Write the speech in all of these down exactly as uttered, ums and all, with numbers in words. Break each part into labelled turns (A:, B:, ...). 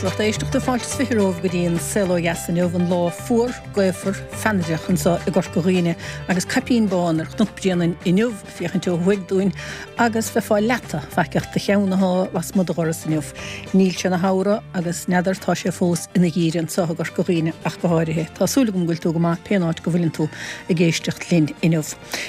A: lucht éisteachta fáilte is fiche romhaibh go dtí an Saol Ó Dheas inniu, an lá fuar, gaofar, feannaideach anseo i gCorca Dhuibhne agus caipín bán ar Chnoc Bréanainn inniu ag féachaint ó thuaidh dúinn agus bheifeá leata faiceach do cheann athá lasmuigh do dhoras inniu. Níl sé ina shamhradh agus n'fheadar tá sé fós ina gheimhreadh anseo i gCorca Dhuibhne ach go háirithe. Tá súil agam go bhfuil tú go maith pén áit go bhfuileann tú ag éisteacht linn inniu.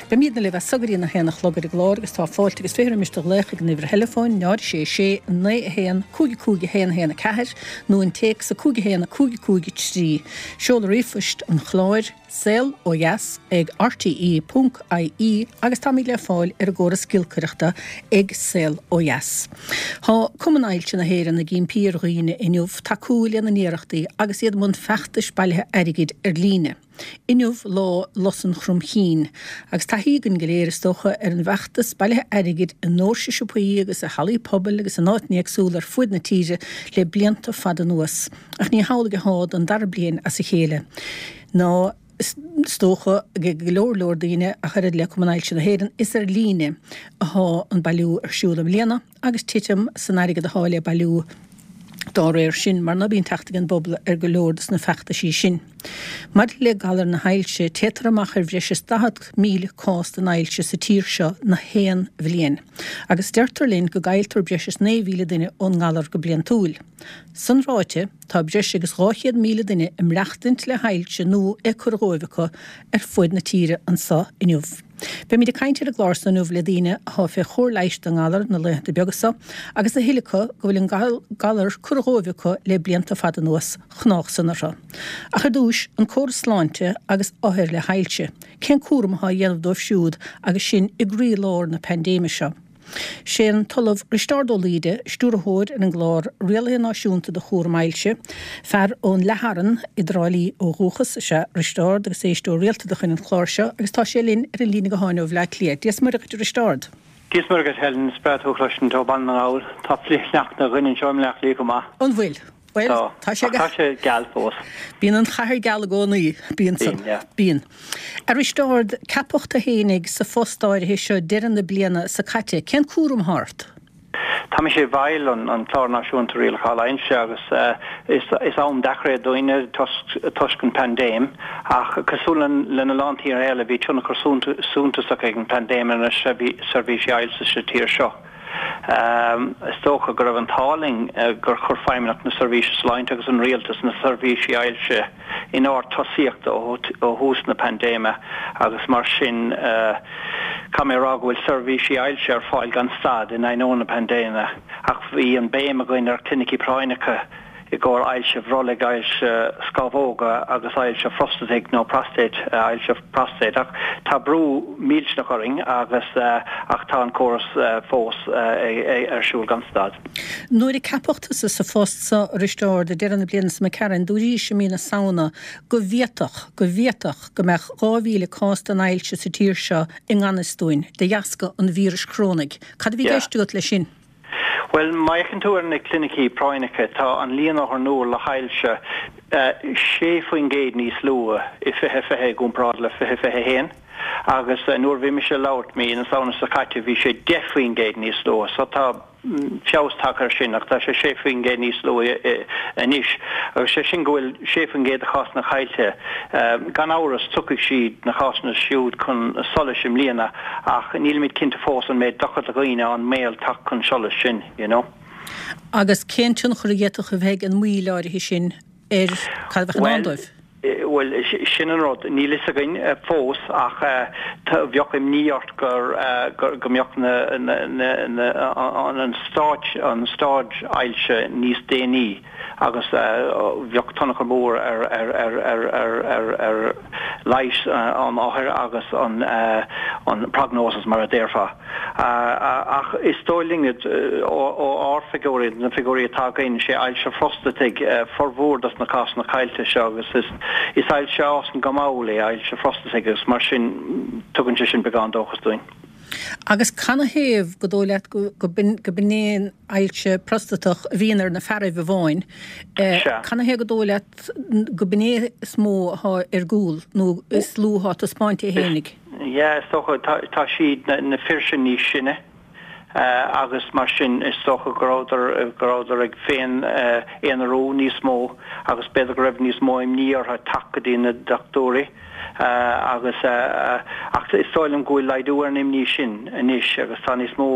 A: Beimidne libh as so go dtí a haon a chlog ar an gclár agus tá fáilte agus fiche roimis do ghlaoch ag an uimhir theileafóin náid sé sé naoi a haon cúig cúig a haon a haon a ceathair nó an téacs a cúig a haon a cúig cúig a trí. Seoladh ríomhphoist an chláir saol ó dheas ag RTE ponc IE agus táimid le fáil ar an gcóras giolcaireachta ag Saol Ó Dheas. Tá Cumann Ailse na hÉireann ag impí ar dhaoine inniu tacú lena n-iarrachtaí agus iad i mbun feachtais bailithe airgid ar líne. Inniu lá Lus an Chromchinn, agus taithí againn go léir is dócha ar an bhfeachtas bailithe airgid i ndoirse siopaí agus i hallaí pobail agus in áiteanna éagsúla ar fuaid na tíre le blianta fada anuas. Ach ní hamhlaidh athá don dara bliain as a chéile. Ná is dócha ag go leor leor daoine ach oiread le Cumann Ailse na hÉireann, is ar líne athá an bailiú ar siúl i mbliana agus titim san airgead athá le bailiú dá réir sin, mar ná bíonn teacht ag an bpobal ar go leor dos na feachtaisí sin. Maidir le galar na hailse, téitear amach ar bhreis is daichead míle cás den ailse sa tír seo na haon bhliain, agus deirtear linn go gcailltear breis is naoi mhíle duine ón ngalar go bliantúil. San ráite, tá breis agus dhá chéad míle duine ag maireachtaint le hailse nó é curtha dhóibh acu ar fuaid na tíre anso inniu. Beimid ag caint ar an gclár so inniu le daoine athá fé chóir leighis don ngalar na laethanta beaga so, agus a thuilleadh acu go bhfuil an galar curtha dhóibh acu le blianta fada anuas, chnách san orthu. Ach ar dtúis, an córas sláinte agus othair le hailse, cén cúram athá á dhéanamh dóibh siúd agus sinn i gcroí-lár na paindéime seo? Sé an tOllamh Risteárd Ó Laoide, Stiúrthóir ar an gClár Rialaithe Náisiúnta do Chúram Ailse, fear ón Leath-Fhearann i dTrá Lí ó dhúchas is ea Risteárd agus éisteoir rialta de chuid an chláir seo agus tá sé linn ar an líne gutháin ó Bhleá Cliath. Dia 's Muire dhuit a Risteárd.
B: Dia 's Muire dhuit Helen, is breá tú a chloisint ó Bhaile na nGall. Tá flichshneachta againn anseo i mBleá Cliath chomh maith.
A: An bhfuil? Bhuel,
B: Tá.
A: tá sé
B: Ach tá sé geal fós.
A: Bíonn an chathair geal i gcónaí. Bíonn san.
B: Bíonn, yeah.
A: Bíonn. A Risteárd, ceapadh tú fhéinig sa phost áirithe seo deireadh na bliana so caite. Cén cúram athá ort?
B: Tá mise i bhfeighil an, an Clár Náisiúnta Rialacháil Ailse agus is, is am deacair é dúinne toisc, toisc an paindéim ach cosúil lena lán tíortha eile bhí tionchar suntasach ag an paindéim ar na seirbhísí ailse sa tír seo. Is dócha go raibh an t-ádh linn gur chuir Feidhmeannacht na Seirbhíse Sláinte agus an Rialtas na seirbhísí ailse in ord tosaíochta ó thús na paindéime agus mar sin caithfidh mé a rá go bhfuil seirbhísí ailse ar fáil gan stad in ainneoin na paindéime ach bhí an béim againn ar chlinicí práinneacha i gcomhair ailse bhrollaigh, ailse scamhóga agus ailse phrostataigh nó prostate, ailse prostate. Ach tá brú millteanach orainn agus ach tá an córas fós ar siúl gan stad.
A: Nuair a ceapadh tusa sa phost so, a Risteárd, ag deireadh na bliana so imigh tharainn, dúraís i mí na Samhna go bhféadfadh, go bhféadfadh go mbeadh dhá mhíle cás den ailse sa tír seo i ngan fhios dúinn, de dheasca an víris chorónaigh. Cad a bhí i
B: Yeah.
A: gceist agat leis sin?
B: Bhuel, má fhéachann tú ar na clinicí práinneacha, tá an líon othar nua le hailse sé faoin gcéad níos lú i fiche fiche i gcomparáid le fiche fiche haon agus nuair a bhí mise ag labhairt mí na Samhna seo caite bhí sé deich faoin gcéad níos lú. So tá feabhas tagtha air sin ach tá sé sé faoin gcéad níos lú anois agus sé sin go bhfuil sé faoin gcéad de chásanna caillte. Gan amhras tiocfaidh siad, na cásanna siúd, chun solais i mbliana ach nílimid cinnte fós an mbeidh dochar do dhaoine an mbaol teacht chun solais sin, you know.
A: Agus cén tionchar a d'fhéadfadh a bheith ag an moill áirithe sin ar cad a bheadh i ndán dóibh?
B: Bhuel, sin an rud. Níl fhios againn fós ach bheadh imní ort gur, go mbeadh na, na, na, an stáid, an staid ailse níos déanaí agus bheadh tionchar mór ar, ar, ar, ar, ar, ar, ar leigheas an othair agus an, an prognosis mar a déarfá. Ach is dóigh linn ó ár bhfigiúirí, na figiúirí atá againn, sé ailse phrostataigh formhór dos na cásanna caillte seo agus is ailse a fhásann go mall é ailse phrostataigh agus mar sin tugann sé sin beagán dóchas dúinn.
A: Agus canathaobh go dóigh leat go b'in é an ailse prostatach a bhíonn ar na fearaibh amháin, canathaobh go dóigh leat go b'in é is mó athá ar gcúl nó is lú athá ag taispeáint é fhéinig?
B: Yeah, is dócha, tá siad, na fir sin níos sine agus mar sin is dócha go rabhadar go rabhadar ag féin aonarú níos mó agus b'fhéidir go raibh níos mó imní orthu teacht go dtí na dochtúirí agus ach is dóigh liom go bhfuil laghdú ar an imní sin anois agus tá níos mó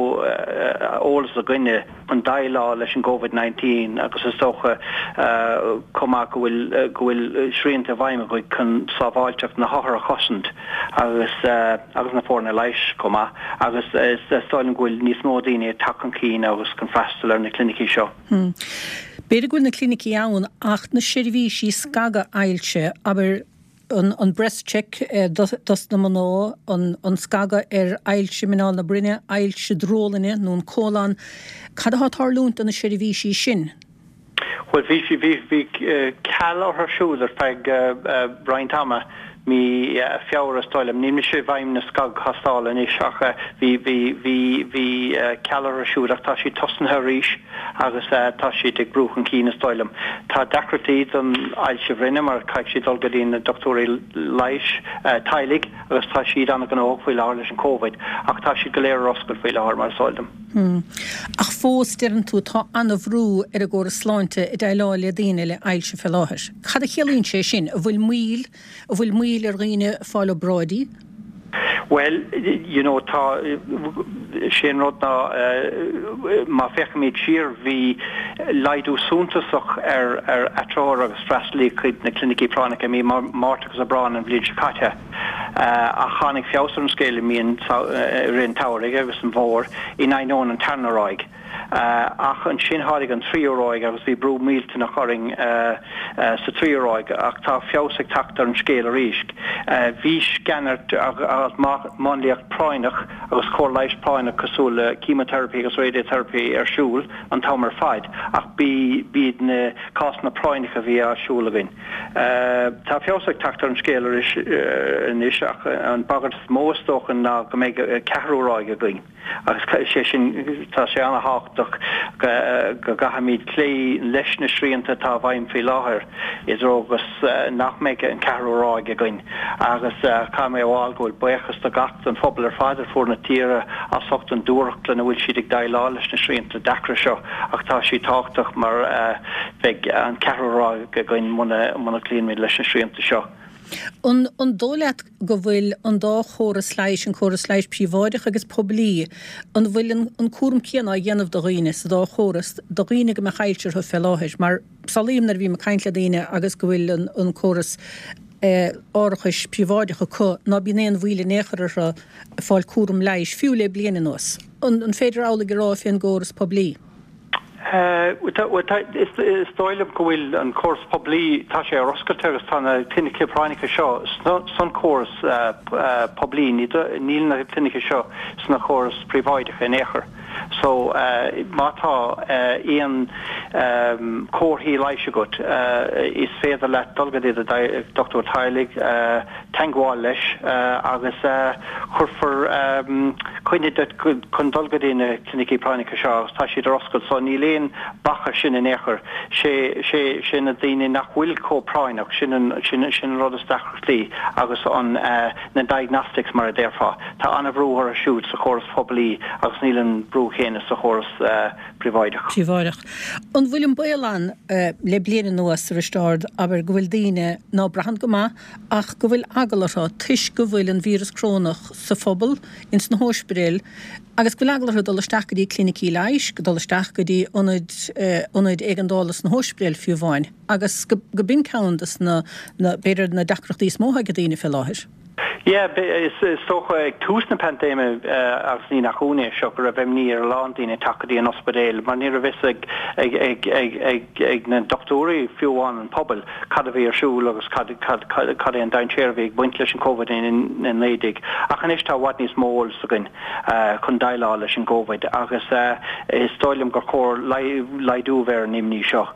B: eolas againne chun déileáil leis an Covid nineteen agus is dócha chomh maith go bhfuil go bhfuil srianta i bhfeidhm againn chun sábháilteacht na hothar a chosaint agus agus na foirne leighis chomh maith agus is dóigh liom go bhfuil níos mó daoine ag teacht chun cinn agus chun freastal ar na clinicí seo.
A: B'fhéidir go bhfuil na clinicí ann ach na seirbhísí scagadh ailse, abair an an breast check dos na mná, an an scagadh ar ailse muineál na broinne, ailse drólainne nó an cólon, cad atá ag tarlúint do na seirbhísí sin?
B: Bhuel bhí bhí bhí ceal orthu siúd ar feadh roinnt ama, mí Feabhra is dóigh liom. Níl mise i bhfeidhm na scagthástála anois ach bhí bhí bhí bhí ceal orthu siúd ach tá siad tosnaithe arís agus tá siad ag brú chun cinn is dóigh liom. Tá deacrachtaí don ailse bhroinne mar caithfidh siad dul go dtí na dochtúirí leighis teaghlaigh agus tá siad an-ghnóthach faoi láthair leis an Covid ach tá siad go léir ar oscailt faoi láthair mar is eol dom.
A: Hmm. Ach fós deireann tú tá an-bhrú ar an gcóras sláinte ag déileáil le daoine le ailse fé láthair. Cad a chiallaíonn sé sin? An bhfuil moill, an bhfuil moill ar dhaoine fáil obráidí?
B: Bhuel, you know, tá, sé an rud ná má féachaimid siar bhí laghdú suntasach ar ar atreorú agus freastalaí chuig na clinicí práinneacha i mí Márta agus Aibreán an bhliain seo caite. Ach tháinig feabhas ar an scéal i mí an i rith an tsamhraidh agus an bhfómhair in ainneoin an tarna ráig. Ach ansin tháinig an tríú ráig agus bhí brú millteanach orainn sa tríú ráig ach tá feabhas ag teacht ar an scéal arís. Bhí sceanairt agus máinliacht práinneach agus cóir leighis práinneach cosúil le chemotherapy agus radiotherapy ar siúl an t-am ar fad ach b'iad na cásanna práinneacha a bhí ar siúl againn. Tá feabhas ag teacht ar an scéal arís anois ach an bhagairt is mó is dócha ná go mbeidh ceathrú ráig againn agus sé sin tá sé an-tábhachtach go gcaithfimid cloí leis na srianta atá i bhfeidhm faoi láthair i dtreo agus nach mbeidh an ceathrú ráig againn agus caithfidh mé a rá go bhfuil buíochas do gach don phobal ar fad ar fud na tíre as ucht an dúthracht lena bhfuil siad ag déileáil leis na srianta deacra seo ach tá siad tábhachtach mar beidh an ceathrú ráig againn muna muna gcloímid leis na srianta seo.
A: An an dóigh leat go bhfuil an dá chóras leighis, an córas leighis príobháideach agus poiblí, an bhfuil an an cúram céanna á dhéanamh do dhaoine sa dá chóras, do dhaoine go mbeadh ailse orthu fé láthair? Mar samhlaím nuair a bhím ag caint le daoine agus go bhfuil an an córas árachais príobháideach acu ná bíonn aon mhoill in aon chor orthu fáil cúram leighis, fiú le bliain anuas. An an féidir amhlaidh a rá fén gcóras poiblí?
B: Is dóigh liom go bhfuil an córas poiblí, tá sé ar oscailt agus tá na clinicí práinneacha seo san córas poiblí, níl na clinicí seo sna córas príobháideacha in aon chor. So má tá aon comharthaí leighis agat, is féidir leat dul go dtí do dochtúir teaghlaigh, teagmháil leis agus cuirfear coinne duit chun dul go dtí na clinicí práinneacha seo agus tá siad ar oscailt so níl aon bac air sin in aon chor. Sé sé sé na daoine nach bhfuil chomh práinneach, sin an sin sin an rud is deacrachtaí agus an na diagnostics mar a déarfá. Tá an-bhrú orthu siúd sa chóras poiblí agus níl an brú céanna sa chóras príobháideach.
A: Príobháideach. An bhfuil an baol ann le bliain anuas, a Risteárd, abair go bhfuil daoine ná braitheann go maith ach go bhfuil eagla orthu toisc go bhfuil an víreas corónach sa phobal, ins na hóispidéil, agus go bhfuil eagla orthu dul isteach go dtí clinicí leighis, dul isteach go dtí ionaid ionaid éigeandála sna hóispidéil fiú amháin, agus go go b'in ceann des na na b'fhéidir na deacrachtaí is mó atá ag daoine fé láthair.
B: Yeah, is dócha ag tús na paindéime agus ní nach ionadh é seo go raibh imní ar a lán daoine teacht go dtí an ospidéal mar ní raibh fhios ag ag ag ag ag ag na dochtúirí fiú amháin an pobal cad a bhí ar siúl agus cad cad cad cad é an dainséar a bhí ag baint leis an Covid a naoi déag. Ach anois tá i bhfad níos mó eolas againn chun déileáil leis an gCovid agus is dóigh liom gur chóir laghdú a bheith ar an imní seo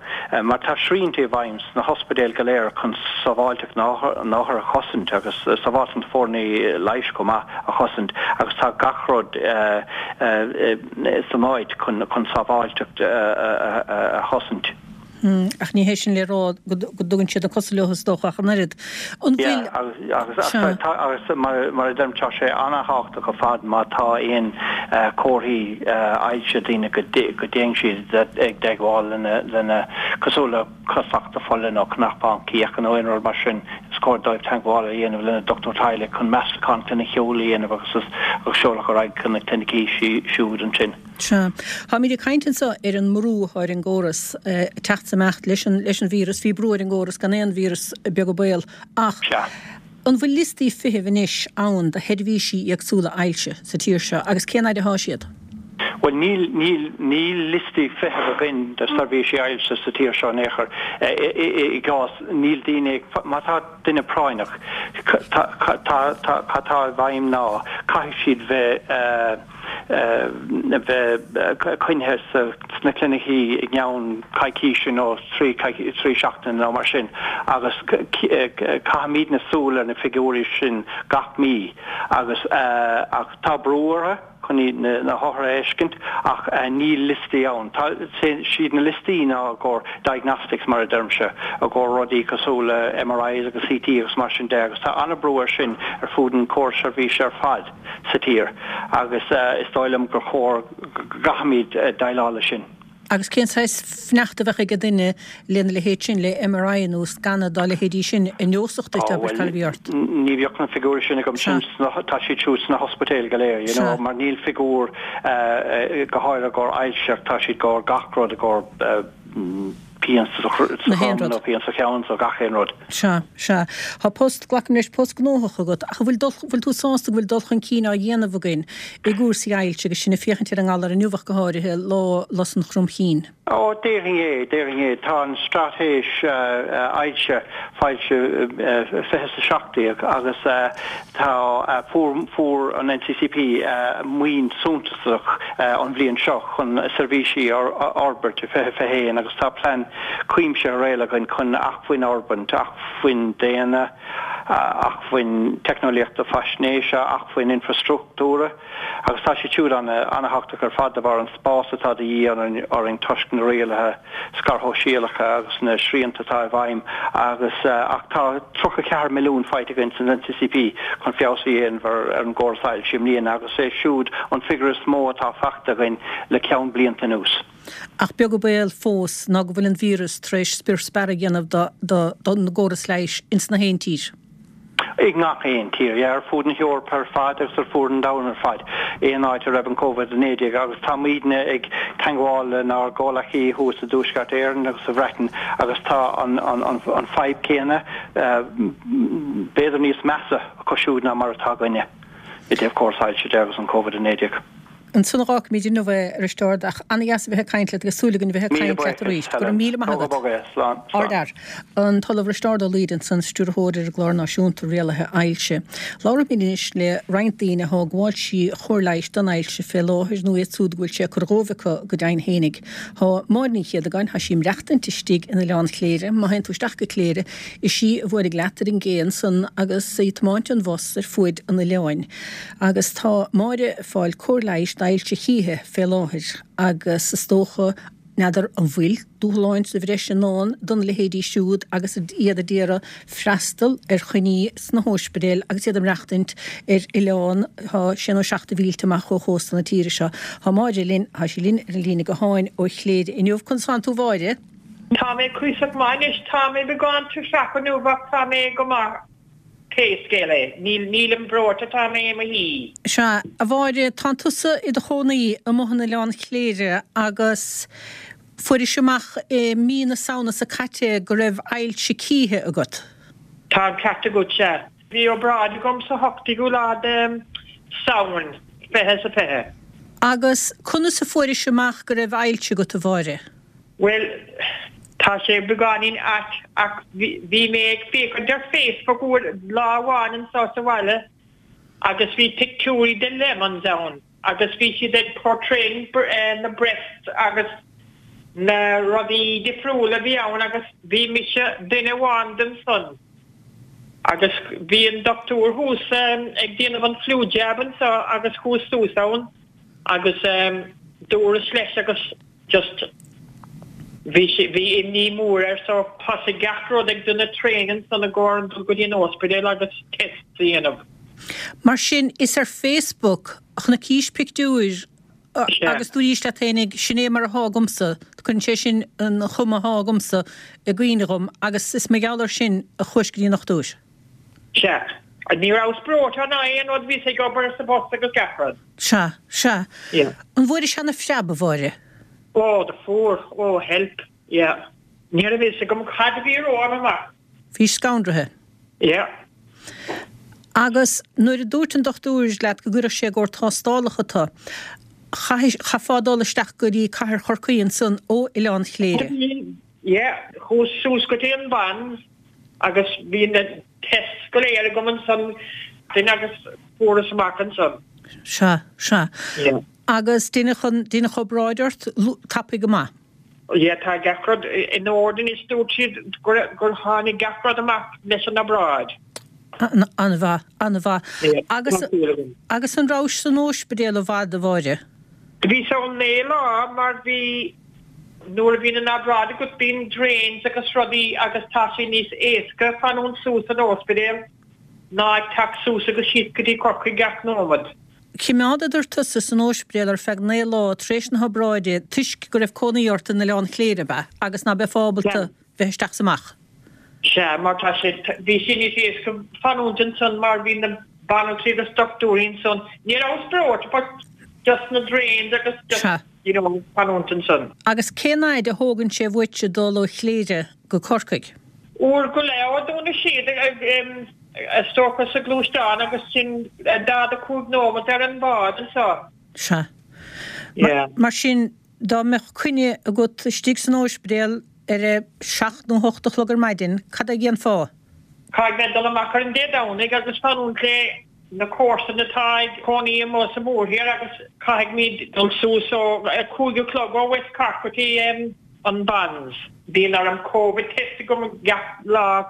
B: mar tá srianta i bhfeidhm sna hospidéil go léir chun sábháilteacht na n-othar a chosaint agus sábháilteacht na foirne leighis chomh maith a chosaint agus tá gach rud san áit chun chun sábháilteacht a chosaint.
A: Ach ní hé sin le rá go dtugann siad na cosa leo is dócha ach an oiread. An bhfuil.
B: Agus agus mar a deirim tá sé an-tábhachtach ar fad má tá aon comharthaí ailse daoine go dtéann siad ag teagmháil lena cosúil le casacht fola nó cnapán cíocha nó aon rud mar sin is cóir dóibh teagmháil a dhéanamh lena dochtúir teaghlaigh chun meastachán cliniciúil a dhéanamh agus agus seoladh ar aghaidh chun na clinicí siúd ansin.
A: Sea. Táimid ag caint anseo ar an mbrú atá ar an gcóras teacht is imeacht leis an leis an víreas. Bhí brú ar an gcóras gan aon víreas, beag an baol. Ach
B: Sea.
A: an bhfuil liostaí feithimh anois ann do sheirbhísí éagsúla ailse sa tír seo agus cén fhaid atá siad?
B: Bhuel níl níl níl liostaí feithimh againn do seirbhísí ailse sa tír seo in aon chor. I gcás níl daoine ag má tá duine práinneach tá tá tá cad tá i bhfeidhm ná caithfidh siad bheith bheith coinnithe sna clinicí i gceann coicíse nó trí trí seachtaine nó mar sin agus caithfimidne súil ar na figiúirí sin gach mí agus ach tá brú orthu chun na hothair a fheiscint ach níl liostaí ann. Tá siad na liostaí ná i gcomhair diagnostics mar a deirimse, i gcomhair rudaí cosúil le MRIs agus CT agus mar sin de agus tá an-brú air sin ar fud an chórais seirbhíse ar fad sa tír agus is dóigh liom gur chóir go gcaithfimid déileáil leis sin.
A: Agus cén saghas fanacht a bheadh ag duine lena leithéid sin, le MRI nó scanadh dá leithéidí sin, a neosfadh duit, abair, cad a bhí ort?
B: Ní bheadh na figiúirí sin agam, sin tá siad siúd sna hospidéil go léir, you know, mar níl figiúr go háirithe i gcomhair ailse, tá siad i gcomhair gach rud, i gcomhair pian sa chrom nó pian sa cheann, so gach aon rud.
A: Sea, sea. Tá post, glacaim leis, post gnóthach agat, ach an bhfuil dul, bhfuil tú sásta go bhfuil dul chun cinn á dhéanamh againn i gcúrsaí ailse agus sinn ag féachaint ar an ngalar inniu ach go háirithe, lá lus an chromchinn?
B: Ó, déarfainn é, déarfainn é. Tá an straitéis ailse foilsithe fiche is a seacht déag agus tá, fuair, fuair an NCCP maoin suntasach an bhliain seo chun seirbhísí a fhorbairt i fiche fiche haon agus tá plean cuimsitheach réidh againn chun acmhainn a fhorbairt, acmhainn daonna, acmhainn teicneolaíochta faisnéise, acmhainn infreastruchtúra agus tá siad siúd an-thábhachtach ar fad de bharr an spás atá de dhíth orainn toisc na rialuithe scair shóisialacha agus na srianta atá i bhfeidhm agus ach tá tríocha ceathair milliún faighte againn san NCCP chun feabhas a dhéanamh ar an gcóras ailse i mbliana agus é siúd an figiúr is mó atá faighte againn le ceann blianta anuas.
A: Ach beag an baol fós ná go bhfuil an víreas tar éis spior spear a dhéanamh don gcóras leighis ins na haon tír.
B: I ngach aon tír, yeah, ar fud na hEorpa ar fad agus ar fud an domhain ar fad, aon áit a raibh an Covid a naoi déag agus táimidne ag teagmháil lenár gcomhleacaí thuas i dTuaisceart Éireann agus sa Bhreatain agus tá an an an fadhb céanna, b'fhéidir níos measa acu siúd ná mar atá againne i dtaobh córas ailse de agus an Covid a naoi déag.
A: Ansan a dh'fhágfaimid inniu é, a Risteárd, ach ana-dheas a bheith ag caint leat agus súil againn a bheith ag
B: Míle
A: caint leat
B: buíochas,
A: arís. Go raibh
B: Helen.
A: míle maith
B: Tóg go
A: agat.
B: bog é. Slán. Slán.
A: Ardfhear. An tOllamh Risteárd Ó Laoire ansan, Stiúrthóir ar an gClár Náisiúnta Rialaithe Ailse. Labharfaimid anois le roinnt daoine atá ag gabháil trí chóir leighis don ailse fé láthair nó iad siúd go bhfuil sé ag cur dhóibh acu go deimhin fhéinig. Tá Máire Ní Chéadagáin, tá sí ag maireachtaint istigh in Oileán Chléire. Má théann tú isteach go Cléire, is í a bhuailfidh leat ar an gcé ansan agus í ag tiomáint an bhus ar fuaid an oileáin. Agus tá Máire ag fáil cóir leighis d'ailse chíche fé láthair agus is dócha, n'fheadar an bhfuil dúshláin sa bhreis i ndán dona leithéidí siúd agus iad a d'iarraidh freastal ar choinní sna hóispidéil agus iad ag maireachtaint ar oileán atá sé nó seacht de mhílte amach ó chósta na tíre seo. Tá Máire linn, tá sí linn ar an líne gutháin ó Chléire inniu. Conas tánn tú a Mháire?
C: Tá mé cuíosach maith anois, tá mé beagán tuirseach inniu ach tá mé go maith. Pé scéal é, níl, nílim breoite, tá mé i mo shuí.
A: Sea, a Mháire, tánn tusa i do chónaí amuigh in Oileán Chléire agus fuairis amach i mí na Samhna seo caite go raibh ailse cíche agat.
C: Tá an ceart agat, sea. Bhí obráid agam sa hochtú lá de Samhain, fiche is a fiche.
A: Agus conas a fuairis amach go raibh ailse agat, a Mháire?
C: Bhuel, tá sé beagáinín ait ach bhí mé ag féachaint ar Facebook uair, lá amháin anso sa bhaile agus bhí pictiúirí de lemons ann agus bhí siad ag portraying na breasts agus na rudaí difriúla a bhí ann agus bhí mise duine amháin den san agus bhí an dochtúir thuas ag déanamh an flu jab anso agus chuas suas ann agus dúras leis agus just Bhí sé bhí imní mór air so thosaigh gach rud ag déanamh traein ansan i gcomhair dul go dtí an ospidéal agus test a dhéanamh.
A: Mar sin is ar Facebook a chonaicís pictiúir agus dúraís leat fhéinig sin é mar athá agamsa, cuireann sé sin an chuma athá agamsa i gcuimhne dhom agus is mar gheall air sin a chuais go dtí an dochtúir.
C: Sea. Ní rabhas breoite ná aon rud bhíos ag obair sa bpost agus gach rud.
A: Sea, sea.
C: Yeah.
A: An bhfuairis ana phreab, a Mháire?
C: Oh, do fuair, oh help, yeah. Ní raibh fhios agam cad a bhí romham amach.
A: Bhís scanraithe.
C: Yeah.
A: Agus nuair a dúirt an dochtúir leat go gcuirfeadh sé i gcomhair tástálacha tu, chaithfeá dul isteach go dtí cathair Chorcaí ansan ó Oileán Chléire.
C: Yeah, chuas suas go dtí an Bans agus bhí na tests go léir agam ansan duine agus fuarthas amach ansan.
A: Sea, sea.
C: Yeah.
A: Agus deineadh an, deineadh obráid ort tapaidh go maith.
C: Yeah, tá gach rud in ord anois, dúirt siad gur, gur tháinig gach rud amach leis an obráid.
A: An-mhaith, an-mhaith.
C: Yeah,
A: Agus,
C: tá súil agam.
A: agus an rabhais san óispidéal i bhfad, a Mháire?
C: Bhíos ann naoi lá mar bhí, nuair a bhíonn an obráid agat bíonn drains agus rudaí agus tá sé níos éasca fanúint suas san óispidéal ná ag teacht suas agus síos go dtí Corcaigh gach nóimead.
A: Choimeádadar tusa san óispidéal ar feadh naoi lá tar éis na hobráide toisc go raibh cónaí ort in Oileán Chléire, ab ea, agus ná beifeá ábalta bheith isteach 's amach.
C: Sea, mar tá sé, bhí sé níos éasca fanúint ansan mar bhí na banaltraí agus dochtúirí ansan. Ní rabhas breoite but just na drains agus just,
A: Sea.
C: you know, fanúint ansan.
A: Agus cén fhaid a thógann sé uaitse dul ó Chléire go Corcaigh?
C: Uair go leith ó Dún na Séad is dócha sa gluaisteán agus sin daichead a cúig nóimeat ar an bhád anseo.
A: Sea.
C: Yeah.
A: Mar sin, dá mbeadh coinne agat istigh san óispidéal ar a seacht nó hocht a chlog ar maidin, cad a dhéanfá?
C: Caithfidh mé dul amach ar an Dé Domhnaigh agus fanúint le na comharsana atá ag cónaí amuigh sa mhórthír agus caithfimid dul suas ó a cúig a chlog ó West Cork go dtí an Bans. Bíonn orm Covid test agam gach lá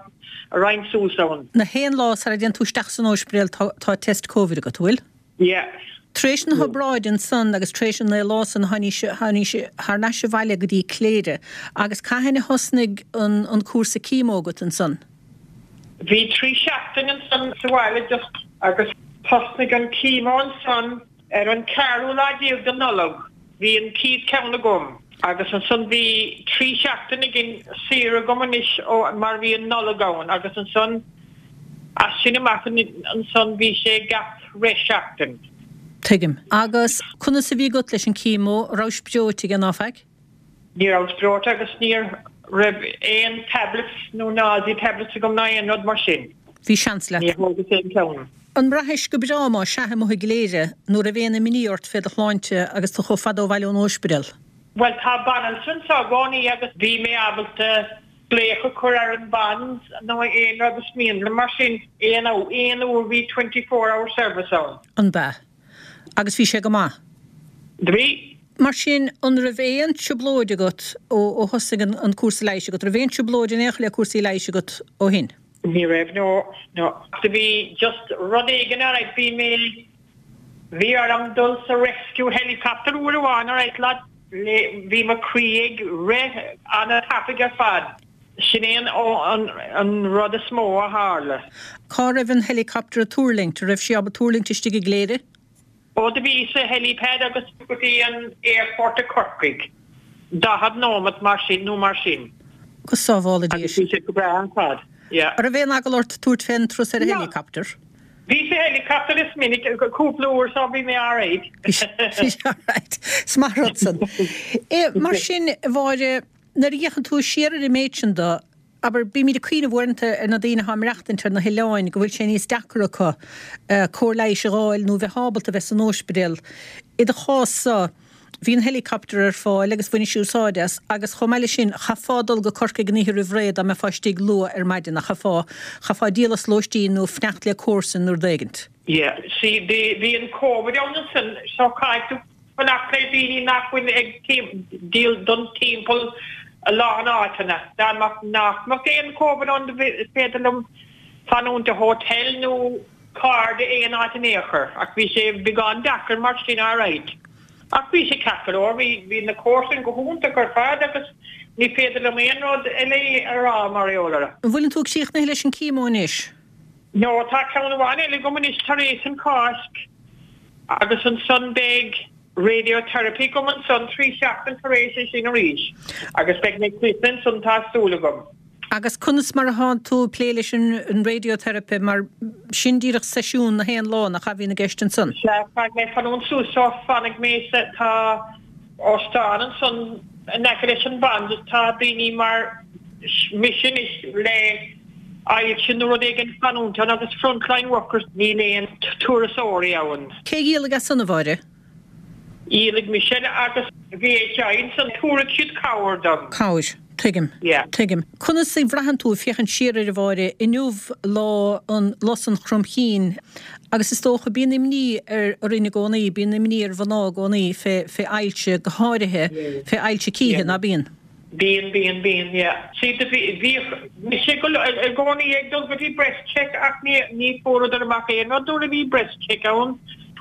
C: a raghainn suas ann.
A: Na haon lá sara dtéann tú isteach san óispidéal tá tá test Covid agat, an bhfuil?
C: Yeah.
A: Tar éis na hobráide ansan agus tar éis an naoi lá san tháinís tháinís thar n-ais abhaile go dtí Cléire agus cathain a thosnaigh an an cúrsa chemo agat ansan?
C: Bhí trí seachtain ansan sa bhaile just agus thosnaigh an chemo ansan ar an ceathrú lá déag de Nollaig. Bhí an chéad ceann agam agus ansan bhí trí seachtain again saor agam anois ó mar bhí an Nollaig ann agus ansan as sin amach ansan bhí sé gach re seachtain.
A: Tuigim. Agus conas a bhí agat leis an chemo, rabhais breoite aige ná faic?
C: Ní rabhas breoite agus ní raibh aon tablets nó nausea tablets agam ná aon rud mar sin.
A: Bhí seans leat.
C: Ní thógas aon ceann.
A: An mbraithis go breá má sea amuigh i gCléire nó raibh aon imní ort fé do shláinte agus tú chomh fada ó bhaile ón óispidéal?
C: Bhuel tá banaltra anseo i gcónaí agus bhí mé ábalta glaoch a chur ar an Bans nó aon rud is mian liom mar sin aon aon uair bhí twenty four hour service ann.
A: An b'ea? Agus bhí sé go maith?
C: Bhí.
A: Mar sin, an raibh aon trioblóid agat ó ó thosaigh an an cúrsa leighis agat? Raibh aon trioblóid in aon chor le cúrsaí leighis agat ó shin?
C: Ní raibh, no, no. Do bhí just rud éigin alright, bhí mé, bhí orm dul sa rescue helicopter uair amháin alright lad, le, bhí mo chroí ag rith an-tapaidh ar fad. Sin é an, an, an rud is mó a tharla.
A: Cá raibh an helicopter ag tuirlingt? An raibh sí ábalta tuirlingt istigh i gCléire?
C: Ó do bhí sa helipad agus go dtí an airport i Corcaigh. Daichead nóimeat mar sin nó mar sin.
A: Go sábhála Dia
C: Agus bhí sé go breá ar fad. Yeah.
A: An raibh aon eagla ort tabhairt fén turas ar an
C: No.
A: helicopter?
C: Bhí sa helicopter is minic, cúpla uair so bhí mé alright.
A: Bhí sé alright. Is maith rud san. Eh, mar sin, a Mháire, nuair a fhéachann tú siar ar an méid sin do, abair, bímid ag cuimhneamh uaireanta ar na daoine atá ag maireachtaint ar na hoileáin go bhfuil sé níos deacra acu cóir leighis a dh'fháil nó bheith ábalta bheith san óispidéal. I do chás-sa, bhí an helicopter ar fáil agus bhainis úsáid as agus chomh maith leis sin, chaithfeá dul go Corcaigh an oíche roimh ré dá mbeifeá istigh luath ar maidin ach chaithfeá, chaithfeá díol as lóistín nó fanacht le comharsan nó rud éigint.
C: Yeah, see, bhí, bhí an Covid ann ansin so caithfidh tú fanacht le daoine nach bhfuil ag díol don timpeall a lán áiteanna. Dá mbeadh nach mbeadh aon Covid ann is féidir liom fanúint i hotel nó cairde aon áit in aon chor ach bhí sé beagán deacair mar sin alright. Ach bhí sé ceart go leor, bhí bhí na comharsain go hiontach ar fad agus ní féidir liom aon rud eile a rá mar gheall air.
A: An bhfuileann tú críochnaithe leis an chemo anois?
C: No, tá ceann amháin eile agam anois tar éis an Cháisc agus ansan beidh radiotherapy agam ansan trí seachtain tar éis é sin arís agus beidh mé críochnaithe ansan tá súil agam.
A: Agus conas mar atánn tú ag plé leis an radiotherapy mar sin díreach seisiún na haon lá nach ea a bhíonn i gceist ansan?
C: Sea, caithfidh mé fanúint suas so fanfaidh mé sa, tá óstán ansan in aice leis an Bond tá daoine mar mise anois le ailse nó rud éigin fanúint ann agus frontline workers níl aon turasóirí ann.
A: Cé a dhíolfaidh as san, a Mháire?
C: Dhíolfaidh mise agus VHI ansan tabharfaidh siad cabhair dom.
A: Cabhair. Tuigim.
C: Yeah.
A: Tuigim. Conas a bhraitheann tú ag féachaint siar air, a Mháire, inniu lá an lus an chromchinn agus is dócha bíonn imní ar orainn i gcónaí, bíonn imní ar mhná i gcónaí fé fé ailse go háirithe fé ailse cíche, ná bíonn?
C: Bíonn, bíonn, bíonn, yeah. See, do bhí, bhíodh mise go, i gcónaí ag dul go dtí breast check ach ní, ní fuaireadar amach aon rud nuair a bhí breast check ann.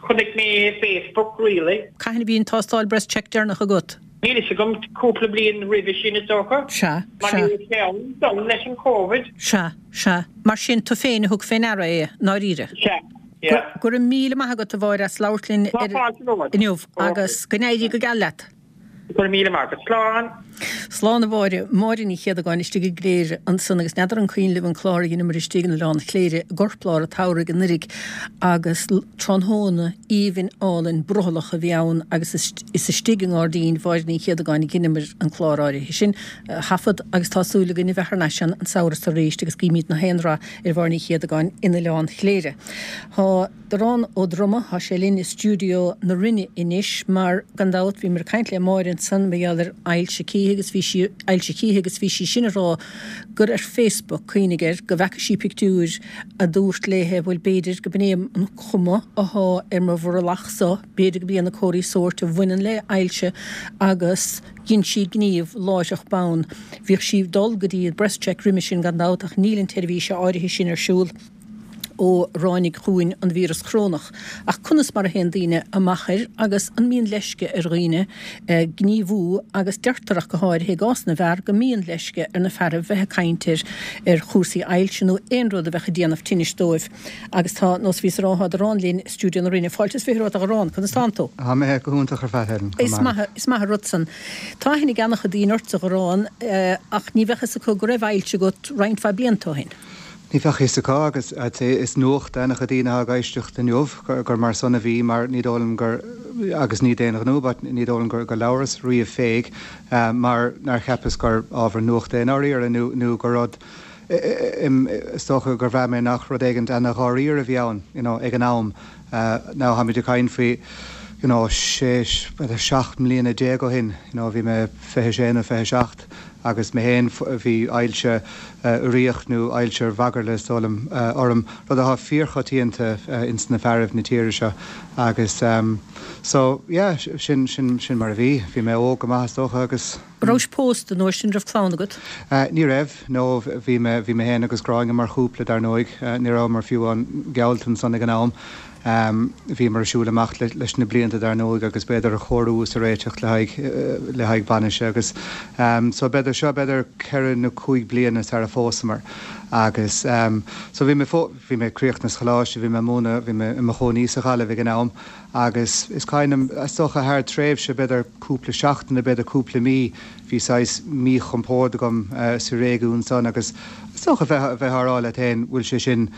C: Chonaic mé é Facebook, really.
A: Cathain a bhí an tástáil breast check deireanach agat?
C: Níl fhios agam, cúpla bliain roimhe sin is dócha.
A: Sea,
C: Mar
A: sea.
C: ní raibh sé ann dom leis an Covid.
A: Sea, sea. Mar sin, tú féin a thug fé ndeara é, i ndáiríre.
C: Sea, yeah.
A: Go raibh míle maith agat, a Mháire, as labhairt linn
C: Tá fáilte romhat.
A: inniu agus go n-éirí go geal leat.
C: Go raibh míle maith agat. Slán.
A: Slán a Mháire. Máire Ní Chéadagáin istigh i gCléire ansan agus n'fheadar an cuimhin libh an clár a dheineamar istigh in Oileán Chléire i gcorplár an tsamhraidh anuiridh agus tráthnóna aoibhinn álainn brothallach a bhí ann agus is istigh i ngairdín Mháire Ní Chéadagáin a dheineamar an clár áirithe sin a thaifead agus tá súil againn a bheith thar n-ais ann an samhradh seo arís agus guímid na haon rath ar Mháire Ní Chéadagáin in Oileán Chléire. Tá Darán Ó Droma, tá sé linn i stiúideo na Rinne anois mar, gan dabht, bhíomar ag caint le Máire ansan mar gheall ar ailse cíche agus bhí sí, ailse chíche agus bhí sí sin ag rá gur ar Facebook, cuimhnigh air, go bhfeaca sí pictiúir a dúirt léithe bhuel b'fhéidir go b'in é an chuma athá ar mo bhrollach so, b'fhéidir go b'iad na comharthaí sóirt a bhaineann le ailse agus dhein sí gníomh láithreach bonn. Bhíodh sí ag dul go dtí breast check roimhe sin gan dabht ach níl an tseirbhís áirithe sin ar siúl. ó ráinig chugainn an víreas corónach. Ach conas mar a théann daoine amach air agus an mbíonn leisce ar dhaoine gníomhú agus deirtear ach go háirithe i gcás na bhfear go mbíonn leisce ar na fearaibh bheith ag caint ar ar chúrsaí ailse nó aon rud a bheadh ag déanamh tinnis dóibh. Agus tá, nós a bhíos ag rá, tá Darán linn i stiúideo na Rinne. Fáilte is fiche romhat a Dharán, conas tánn tú?
D: Tá mé go hiontach ar fad, Helen.
A: Is maith, is maith an rud san. Tá aithne ag an-chuid daoine ortsa, a Dharán, ach ní bheadh fhios acu go raibh ailse agat roinnt mhaith blianta ó shin.
D: Ní bheadh fhios acu agus I'd say is nuacht d'an-chuid daoine atá ag éisteacht inniu gur mar san a bhí mar ní dóigh liom gur, agus ní d'aon ghnó, but ní dóigh liom gur gur labhras riamh fé mar nár cheapas gur ábhar nuachta é i ndáiríre nó nó gur rud is dócha gur bhraith mé nach rud éigint ana-dháiríre a bhí ann you know ag an am. Now táimid ag caint faoi you know sé, b'fhéidir seacht mbliana déag ó shin, you know bhí mé fiche sé nó fiche seacht agus mé féin bhí ailse uiríoch nó ailse ar mhagairle is dóigh liom orm, rud atá fíorchoitianta ins na fearaibh na tíre seo agus so yeah sin sin sin mar a bhí. Bhí mé óg go maith is dócha agus.
A: Rabhais pósta an uair sin, raibh clann agat?
D: Ní raibh, no bhí mé bhí mé féin agus Gráinne mar chúpla dar ndóigh, ní rabhamar fiú amháin geallta ansan ag an am. Bhíomar ag siúl amach leis na blianta dar ndóigh agus b'fhéidir a chóiriú is a réiteach le haghaidh le haghaidh bainise agus so b'fhéidir seo b'fhéidir ceithre nó cúig bliana sar a phósamar agus so bhí mé bhí mé críochnaithe sa choláiste, bhí mé ag múineadh, bhí mé i mo chónaí sa Ghaillimh ag an am agus is cuimhin liom is dócha thar tréimhse b'fhéidir cúpla seachtain nó b'fhéidir cúpla mí bhí saghas míchompord agam sa réigiún san agus is dócha bheith bheith á rá leat féin bhfuil sé sin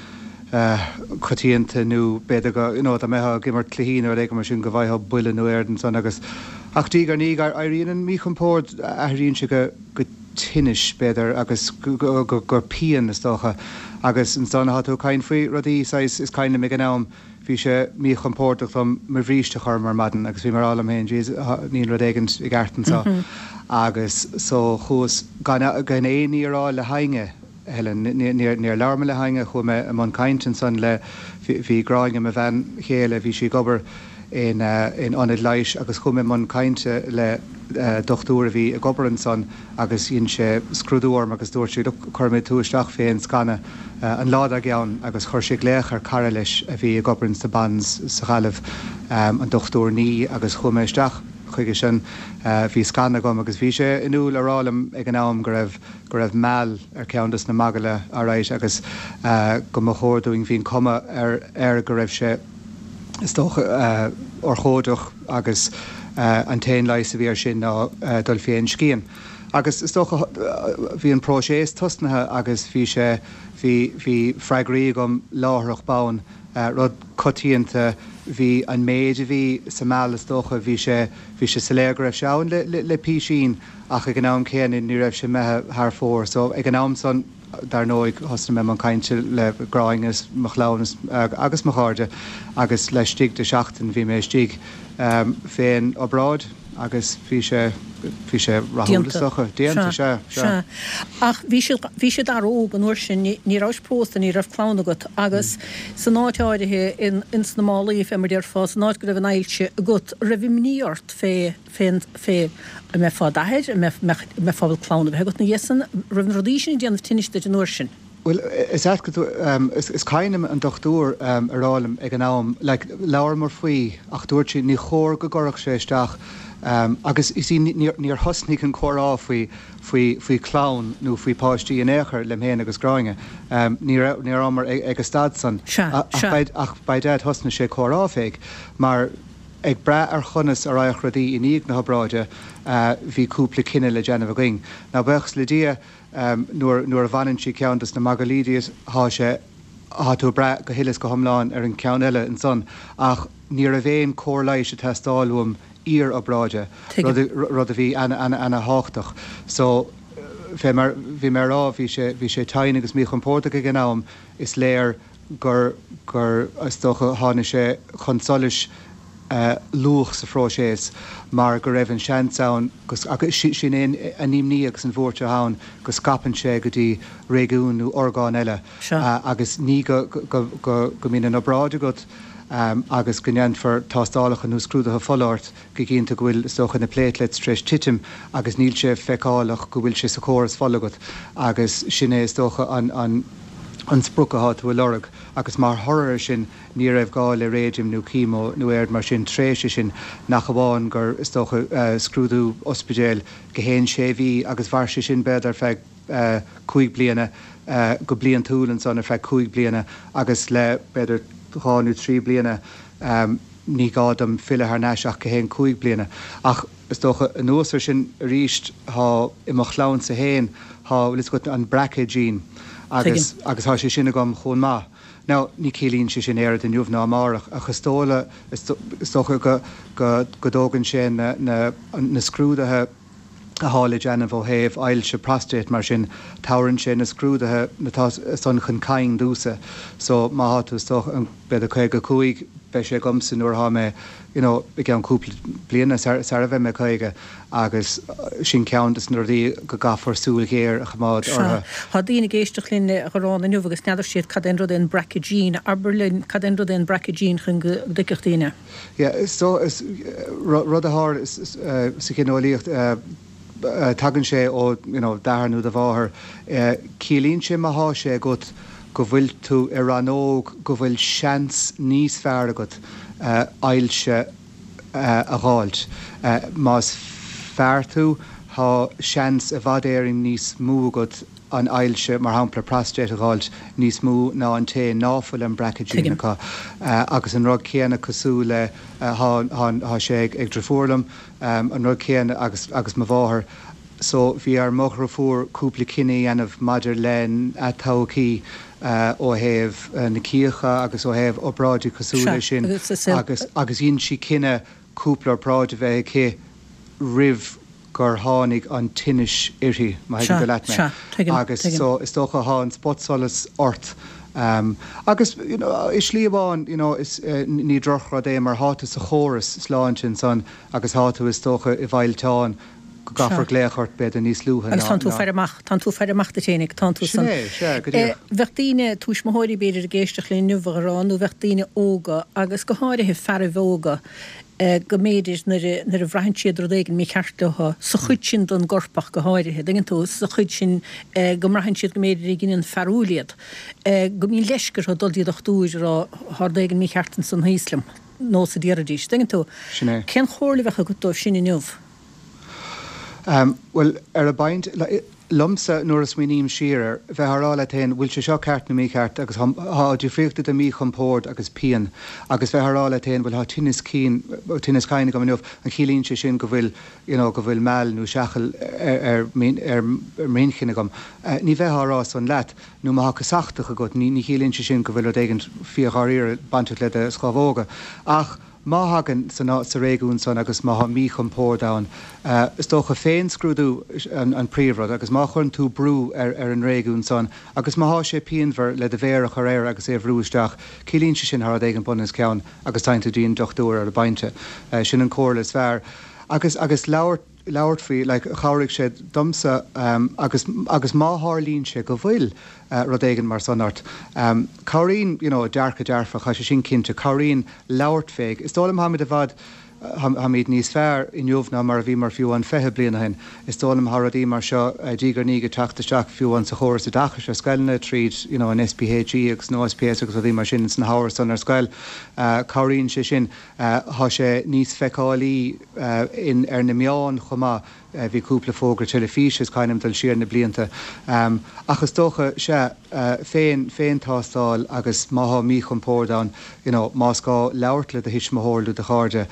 D: coitianta nó b'fhéidir go, you know, dá mbeifeá ag imirt cluichí nó rud éigin mar sin go bhfaighfeá buille nó éard ansan agus, ach diaidh ar ndiaidh éiríonn an míchompord, athraíonn sé go, go tinnis b'fhéidir agus go, go, go, go pian is dócha agus ansan tá tú ag caint faoi rudaí saghas, is cuimhin liom ag an am bhí sé míchompordach dom mo bhríste a chur orm ar maidin agus bhí mé ag rá liom féin jeez níl rud éigin i gceart anso agus so chuas gan, gan aon ní a rá le héinne. Helen, Níor labhair mé le héinne, chuaigh mé i mbun cainte ansan le, Bhí Gráinne, mo bhean chéile, bhí sí ag obair in in ionad leighis agus chuaigh mé i mbun cainte le dochtúir a bhí ag obair ansan agus dhein sé scrúdú orm agus dúirt sé look cuirfidh mé tú isteach fén scanadh an lá dár gcionn agus chuir sé glaoch ar cara leis a bhí ag obair insa Bond's sa Ghaillimh, an Dochtúir Nee agus chuaigh mé isteach chuige sin. Bhí scanadh agam agus bhí sé inniúil a rá liom ag an am go raibh go raibh meall ar ceann dos na magairle alright agus go mba chóir dúinn bhí an cuma ar air go raibh sé is dócha urchóideach agus an t-aon leigheas a bhí air sin ná dul fén scian. Agus is dócha bhí an próiseas tosnaithe agus bhí sé bhí bhí freagraí agam láithreach bonn, rud coitianta, bhí an méid a bhí sa meall is dócha bhí sé bhí sé soiléir go raibh sé ann le le le písín ach ag an am céanna ní raibh sé imithe thar fóir so ag an am san dar ndóigh thosnaigh mé i mbun cainte le Gráinne is mo chlann is agus mo chairde agus laistigh de sheachtain bhí mé istigh fén obráid agus bhí sé bhí sé rathúil is dócha. Déanta, sea, sea.
A: Ach bhí siad bhí siad an-óg an uair sin, ní ní rabhais pósta, ní raibh clann agat agus san áit áirithe in ins na málaí fé mar déarfá, san áit go raibh an ailse agat, raibh imní ort fé fén fé an mbeifeá i d'athair, an mbeadh mbeadh mbeifeá ábalta clann a bheith agat ina dhiaidh san, raibh na rudaí sin ag déanamh tinnis duit an uair sin?
D: Bhuel, is ait go, is cuimhin liom an dochtúir a rá liom ag an am, like, labhramar faoi ach dúirt sé ní chóir go gcuirfeadh sé isteach agus you see níor thosnaigh an comhrá faoi, faoi, faoi chlann nó faoi páistí in aon chor liom féin agus Gráinne. Ní raibh, ní rabhamar ag an staid san. Ach by dad thosnaigh sé comhrá fé mar ag brath ar chonas a raghadh rudaí i ndiaidh na hobráide bhí cúpla cinneadh le déanamh againn. Now buíochas le Dia nuair nuair a bhaineann sí ceann dos na magairlí díot thá sé thá tú ag brath go huile is go hiomlán ar an ceann eile ansan ach ní raibh aon cóir leighis ag teastáil uaim iar-obráide, rud rud a bhí ana ana ana thábhachtach. So fé mar bhí mé a rá bhí sé bhí sé tinn agus míchompordach ag an am is léir gur gur is dócha tháinig sé chun solais luath sa phróiseas mar go raibh an seans ann go agus sin é an imní agus an bhuairt atá ann go scaipeann sé go dtí réigiún nó orgán eile agus ní go go go go mbíonn an obráid agat agus go ndéanfar tástálacha nó scrúduithe fola ort go cinnte go bhfuil is dócha na platelets tar éis titim agus níl sé feiceálach go bhfuil sé sa chóras fola agat agus sin é is dócha an an an sprioc atá tú a lorg agus mar thoradh air sin ní raibh gá le raidium nó chemo nó aon rud mar sin tréis sin nach amháin gur is dócha scrúdú ospidéil gach aon sé mhí agus mhair sé sin b'fhéidir ar feadh cúig bliana go bliantúil ansan ar feadh cúig bliana agus le b'fhéidir dhá nó trí bliana ní gá dom filleadh thar n-ais ach gach aon cúig bliana. Ach is dócha anuas ar sin arís thá i mo chlannsa féin thá bhfuil fhios agat an BRCA gene agus agus thá sé sin agam chomh maith. Now ní ciallaíonn sé sin aon rud inniu ná amárach ach is dóla is dócha go go go dtógann sé na na na scrúduithe athá le déanamh ó thaobh ailse prostate mar sin tabharann sé na scrúduithe atá san chun cinn domhsa so má thá tú is dócha b'fhéidir caoga cúig beidh sé agamsa nuair athá mé you know i gceann cúpla bliana sara bheidh mé caoga agus sin ceann des na rudaí go gcaithfear súil ghéar a choimeád
A: Sea.
D: orthu.
A: Tá daoine ag éisteacht linn a Ghoráin inniu agus n'fheadar siad cad é an rud é an BRCA gene. Abair linn cad é an rud é an BRCA gene chun go dtuigfeadh daoine.
D: Yeah so is rud a tharla sa ghineolaíocht tagann sé ó you know d'athair nó do mháthair. Ciallaíonn sé má thá sé agat go bhfuil tú i rannóg go bhfuil seans níos fearr agat ailse a dh'fháilt. Más fear tú thá seans i bhfad Éireann níos mó agat an ailse, mar shampla prostate a dh'fháilt níos mó ná an té ná fuil an BRCA gene
A: Tuigim.
D: acu. Agus an rud céanna cosúil le thá thá sé ag ag driofúr liom, an rud céanna agus agus mo mháthair. So bhí ar mo dhriofúr cúpla cinneadh a dhéanamh maidir lena todhchaí ó thaobh na cíocha agus ó thaobh obráidí cosúil
A: Sea,
D: le sin
A: agus is é
D: agus agus dhein sí cinneadh cúpla obráid a bheith aici roimh gur tháinig an tinnis uirthi, má thuigeann
A: Sea,
D: tú leat mé.
A: sea, tuigim,
D: Agus
A: tuigim.
D: so is dócha thá an spotsolas ort. Agus you know i slí amháin you know is ní drochrud é mar thá tú sa chóras sláinte ansan agus thá tú is dócha i bhfillteán gcaithfear glaoch ort b'fhéidir níos luaithe
A: ná. Agus tánn tú ag faire amach, tánn tú ag faire amach duit fhéinig, tánn tú
D: san. Sin é, sea, go díreach.
A: Bheadh daoine, tuismitheoirí b'fhéidir ag éisteacht linn inniu a Gharán, nó bheadh daoine óga agus go háirithe fearaibh óga, go mb'fhéidir nuair a, nuair a bhraitheann siad rud éigin mícheart leo, sa chuid sin den gcorp ach go háirithe, dtuigeann tú, sa chuid sin go mbraitheann siad go mb'fhéidir ag giniúint fearúil iad, go mbíonn leisce orthu dul dtí dochtúir a rá tá rud éigin mícheart ansan thíos liom, nós a déarfaidís, dtuigeann tú.
D: Sin é.
A: Cén chomhairle a bheadh agat dóibh sin inniu?
D: Bhuel, ar an bpointe, liomsa, nuair a smaoiním siar air, bheith á rá leat féin, bhfuil sé seo ceart nó mícheart agus tá difríocht idir míchompord agus pian agus bheith á rá leat féin, bhuel, tá tinneas cinn, tinneas cinn agam inniu, an chiallaíonn sé sin go bhfuil, you know, go bhfuil meall nó seachal ar, ar, ar m'inchinn agam? Ní bheifeá á rá san leat. Nó má tá casachtach agat, ní, ní chiallaíonn sé sin go bhfuil rud éigin fíor-dháiríre bainteach le do scamhóga. Ach. Má thagann san sa réigiún san agus má thá míchompord ann, is dócha féinscrúdú an príomhrud agus má chuireann tú brú ar ar an réigiún san agus má thá sé pianmhar le do mhéar a chur air agus é a bhrú isteach, ciallaíonn sé sin thá rud éigin bun os cionn agus téann tú dtí an dochtúir ar an bpointe. Sin an comhairle is fearr. Agus agus labhairt labhairt faoi, like, chabhraigh sé domsa agus agus má tharlaíonn sé go bhfuil rud éigin mar san ort, cabhraíonn, you know, dearcadh dearfach, tá sé sin cinnte, cabhraíonn labhairt fé. Is dóigh liom táimid i bhfad, táimid níos fearr inniu ná mar a bhíomar fiú amháin fiche bliain ó shin. Is dóigh liom tá rudaí mar seo diaidh ar ndiaidh ag teacht isteach fiú amháin sa chóras oideachais ar scoileanna tríd, you know, an SPHE agus an OSPS agus rudaí mar sin sna hábhair san ar scoil. Cabhraíonn sé sin. Tá sé níos feiceálaí in ar na meáin chomh maith. Bhí cúpla fógra teilifíse, is cuimhin liom dul siar na blianta. Ach is dócha, sea, féin, féin-tástáil agus má thá míchompord ann, you know, más gá labhairt le do thuismitheoir nó do chairde,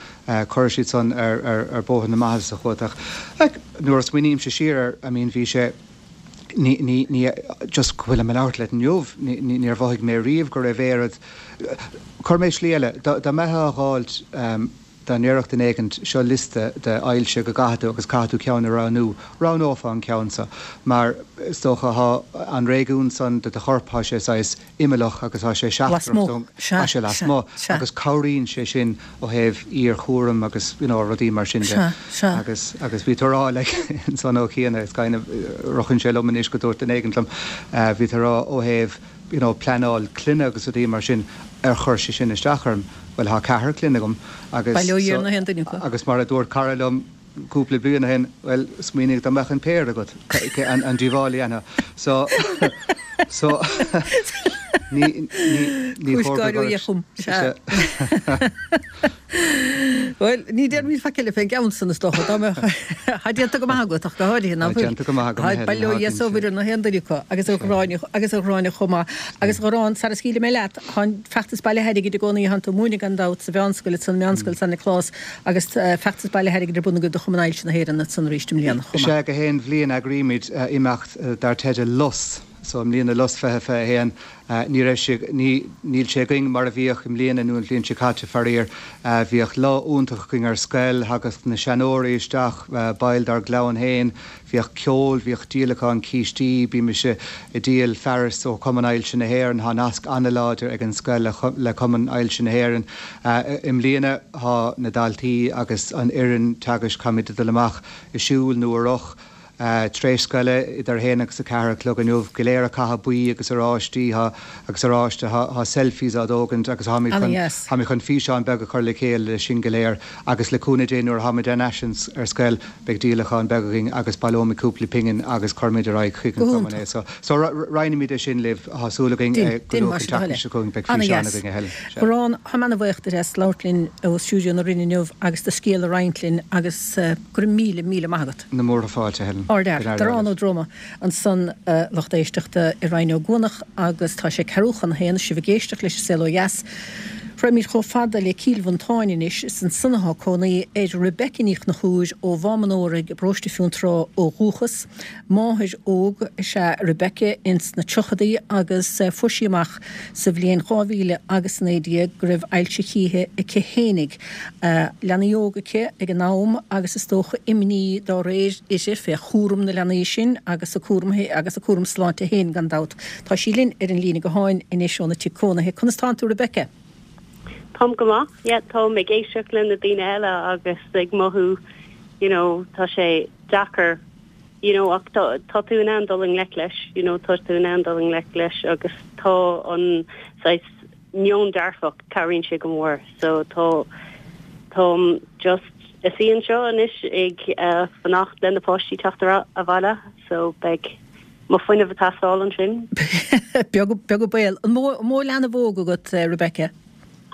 D: cuirfidh siad san ar, ar, ar bóthar na maitheasa chugat. Ach, like, nuair a smaoinímse siar air, I mean, bhí sé, ní, ní, ní, just go bhfuilim ag labhairt leat inniu, ní, ní, níor mhothaigh mé riamh go raibh oiread, cuir mé slí eile, dá, dá mbeifeá á dh'fháilt, dá ndéarfadh duine éigint, seo liosta de ailse go gcaithfidh tú agus caithfidh tú ceann a roghnú, roghnófá an ceann so, mar is dócha thá an réigiún san de do chorp, thá sé saghas imeallach agus thá sé seachtrach don, thá sé lasmuigh agus cabhraíonn sé sin ó thaobh iarchúram agus you know rudaí mar sin de. Agus, agus bhí tú a rá like ansan ó chiana, is kind of ritheann sé liom anois go dúirt duine éigint liom, bhí tú a rá ó thaobh you know pleanáil clainne agus rudaí mar sin, ar chuir sé sin isteach orm? Bhuel, thá ceathrar clainne agam agus
A: Bail ó Dhia ar na haon duine acu.
D: agus mar a dúirt cara liom cúpla bliain ó shin, bhuel, smaoinigh dá mbeadh an péire agat, an díobháil a dhéanfá. So, so, ní, ní, ní
A: Cúis
D: chóir go
A: gáire ó
D: gcuirfeadh
A: Dhia chugam, sea. Bhuel, ní déarfaimid faic eile fén gceann san, is dócha, dá mbeadh, thá déanta go maith agat ach go háirithe, ná
D: Tá
A: fuil?
D: déanta go maith agam,
A: Tá,
D: a Helen,
A: bail ó
D: thá
A: Dhia is ó
D: cinnte.
A: Mhuire ar na haon duine acu, agus a Ghráinne, agus a Ghráinne chomh maith. Agus a Gharáin, sara scaoilfidh mé leat, Tá an feachtas bailithe airgid i gcónaí, tánn tú ag múineadh gan dabht sa mheánscoil ansan, Meánscoil San Nioclás, agus feachtas bailithe airgid ar bun agaibh do Chumann Ailse na hÉireann ansan arís i mbliana chomh maith.
D: Sea, gach aon bhliain eagraímid imeacht dar teideal Lus. So i mbliana Lus fiche fiche a haon, ní raibh sé, ní, níl sé againn mar a bhíodh i mbliana nó an bhliain seo caite, faraor. Bhíodh lá iontach againn ar scoil, thagadh na seanóirí isteach, baill dár gclann féin, Bhíodh ceol, bhíodh díolachán cístí, bímise ag díol fearas ó Chumann Ailse na hÉireann, thá nasc an-láidir ag an scoil le Cumann Ailse na hÉireann. I mbliana thá na daltaí agus an fhoireann teagaisc, táimid ag dul amach ag siúl nó ar roth tar éis scoile idir a haon agus a ceathair a chlog inniu, go léir ag caitheamh buí agus oráistí, thá agus oráiste, thá thá selfies á dtógaint agus tháimid chun
A: Ana-dheas.
D: tháimid chun físeán beag a chur le chéile le sin go léir agus le cúnamh Dé nuair a tháimid ar ais ar scoil Beidh díolachán beag againn agus baileoimid cúpla pingin agus cuirfimid ar aghaidh chuig
A: Go
D: an chumann é.
A: hiontach.
D: So, so roinnfimid é sin libh. Tá súil againn
A: Déan,
D: go
A: déan
D: luath
A: mar
D: an
A: sin a
D: tseachtain
A: Helen.
D: seo chugainn beidh físeán
A: Ana-dheas.
D: againn a Helen. Sea.
A: Gharán, táim ana-bhuíoch díot as labhairt linn ó stiúideo na Rinne inniu agus do scéal a roinnt linn agus go raibh míle, míle maith agat.
D: Na múrtha fáilte, Helen.
A: Ardfhear.
D: Go n-éirí
A: Darán
D: libh.
A: Ó Droma ansan, a lucht éisteachta i Rinn Ó gCuanach agus tá sé ceathrú chun a haon, sibh ag éisteacht leis An Saol Ó Dheas. Raghaimid chomh fada le Cill Mhantáin anois, is ansan atá cónaí ar Rebecca Ní Chonchúir ó Mhám an Óraigh i bparóiste Fionntrá ó dhúchas. Máthair óg is ea Rebecca ins na tríochadaí agus fuair sí amach sa bhliain dhá mhíle agus a naoi déag go raibh ailse chíche aici fhéinig. Leanaí óga aici ag an am agus is dócha imní dá réir uirthi fé chúram na leanaí sin agus a cúram agus a cúram sláinte féin gan dabht. Tá sí linn ar an líne gutháin anois óna tigh cónaithe. Conas tánn tú Rebecca?
E: Táim go maith, yeah, táim ag éisteacht le na daoine eile agus ag mothú you know tá sé deacair you know ach tá tá tú in ann dul i ngleic leis you know tá tú in ann dul i ngleic leis agus tá an saghas meon dearfach cabhraíonn sé go mór so tá táim just ag suí anseo anois ag uh, fanacht le na páistí teacht abhaile so beidh mo fuinneamh ag teastáil ansin.
A: Beag beag baol an mó mó leanbh óg agat uh, Rebecca?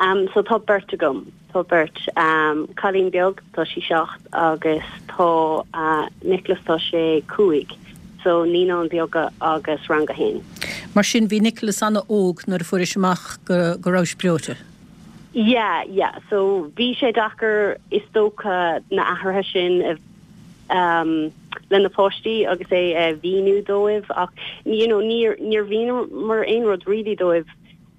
E: Um, so tá beirt agam tá beirt um, cailín beag tá sí seacht agus tá uh, Nicholas tá sé cúig so naíonáin bheaga agus rang a haon.
A: Mar sin bhí Nicholas an-óg nuair a fuairis amach go go raibh breoite.
E: Yeah, yeah. So bhí sé deacair is dócha na athruithe sin um, le na páistí agus é uh, mhíniú dóibh ach you know, níor níor mhíníomar aon rud really dóibh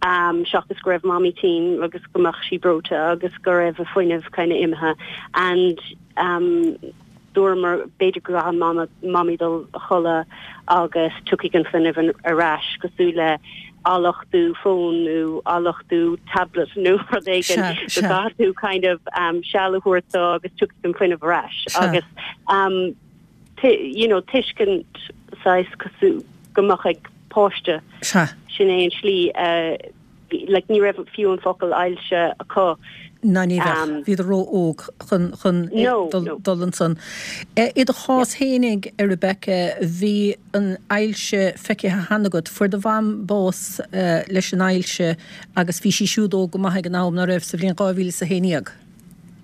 E: um, seachas go raibh mamaí tinn agus go mbeadh sí breoite agus go raibh a fuinneamh kind of imithe and um, dúramar b'fhéidir go an mama mamaí dul a chodladh agus tiocfaidh an fuinneamh ar ais cosúil le athluchtú fón nó athluchtú tablet nó rud éigin go gcaithfidh tú kind of um, seal a thabhairt agus tiocfaidh an fuinneamh ar ais agus um, you know tuiscint saghas cosúil go mbeadh ag páiste sin é an slí uh, like ní raibh fiú an focal ailse acu.
A: Ná ní um, bhí ró-óg chun chun dul ansan. I do chás féinig a Rebecca bhí an ailse feicthe cheana agat fuair do mham bás uh, leis an ailse agus bhí sí siúd óg go maith ag an am nach raibh sa bhliain dhá mhíle is a haon déag.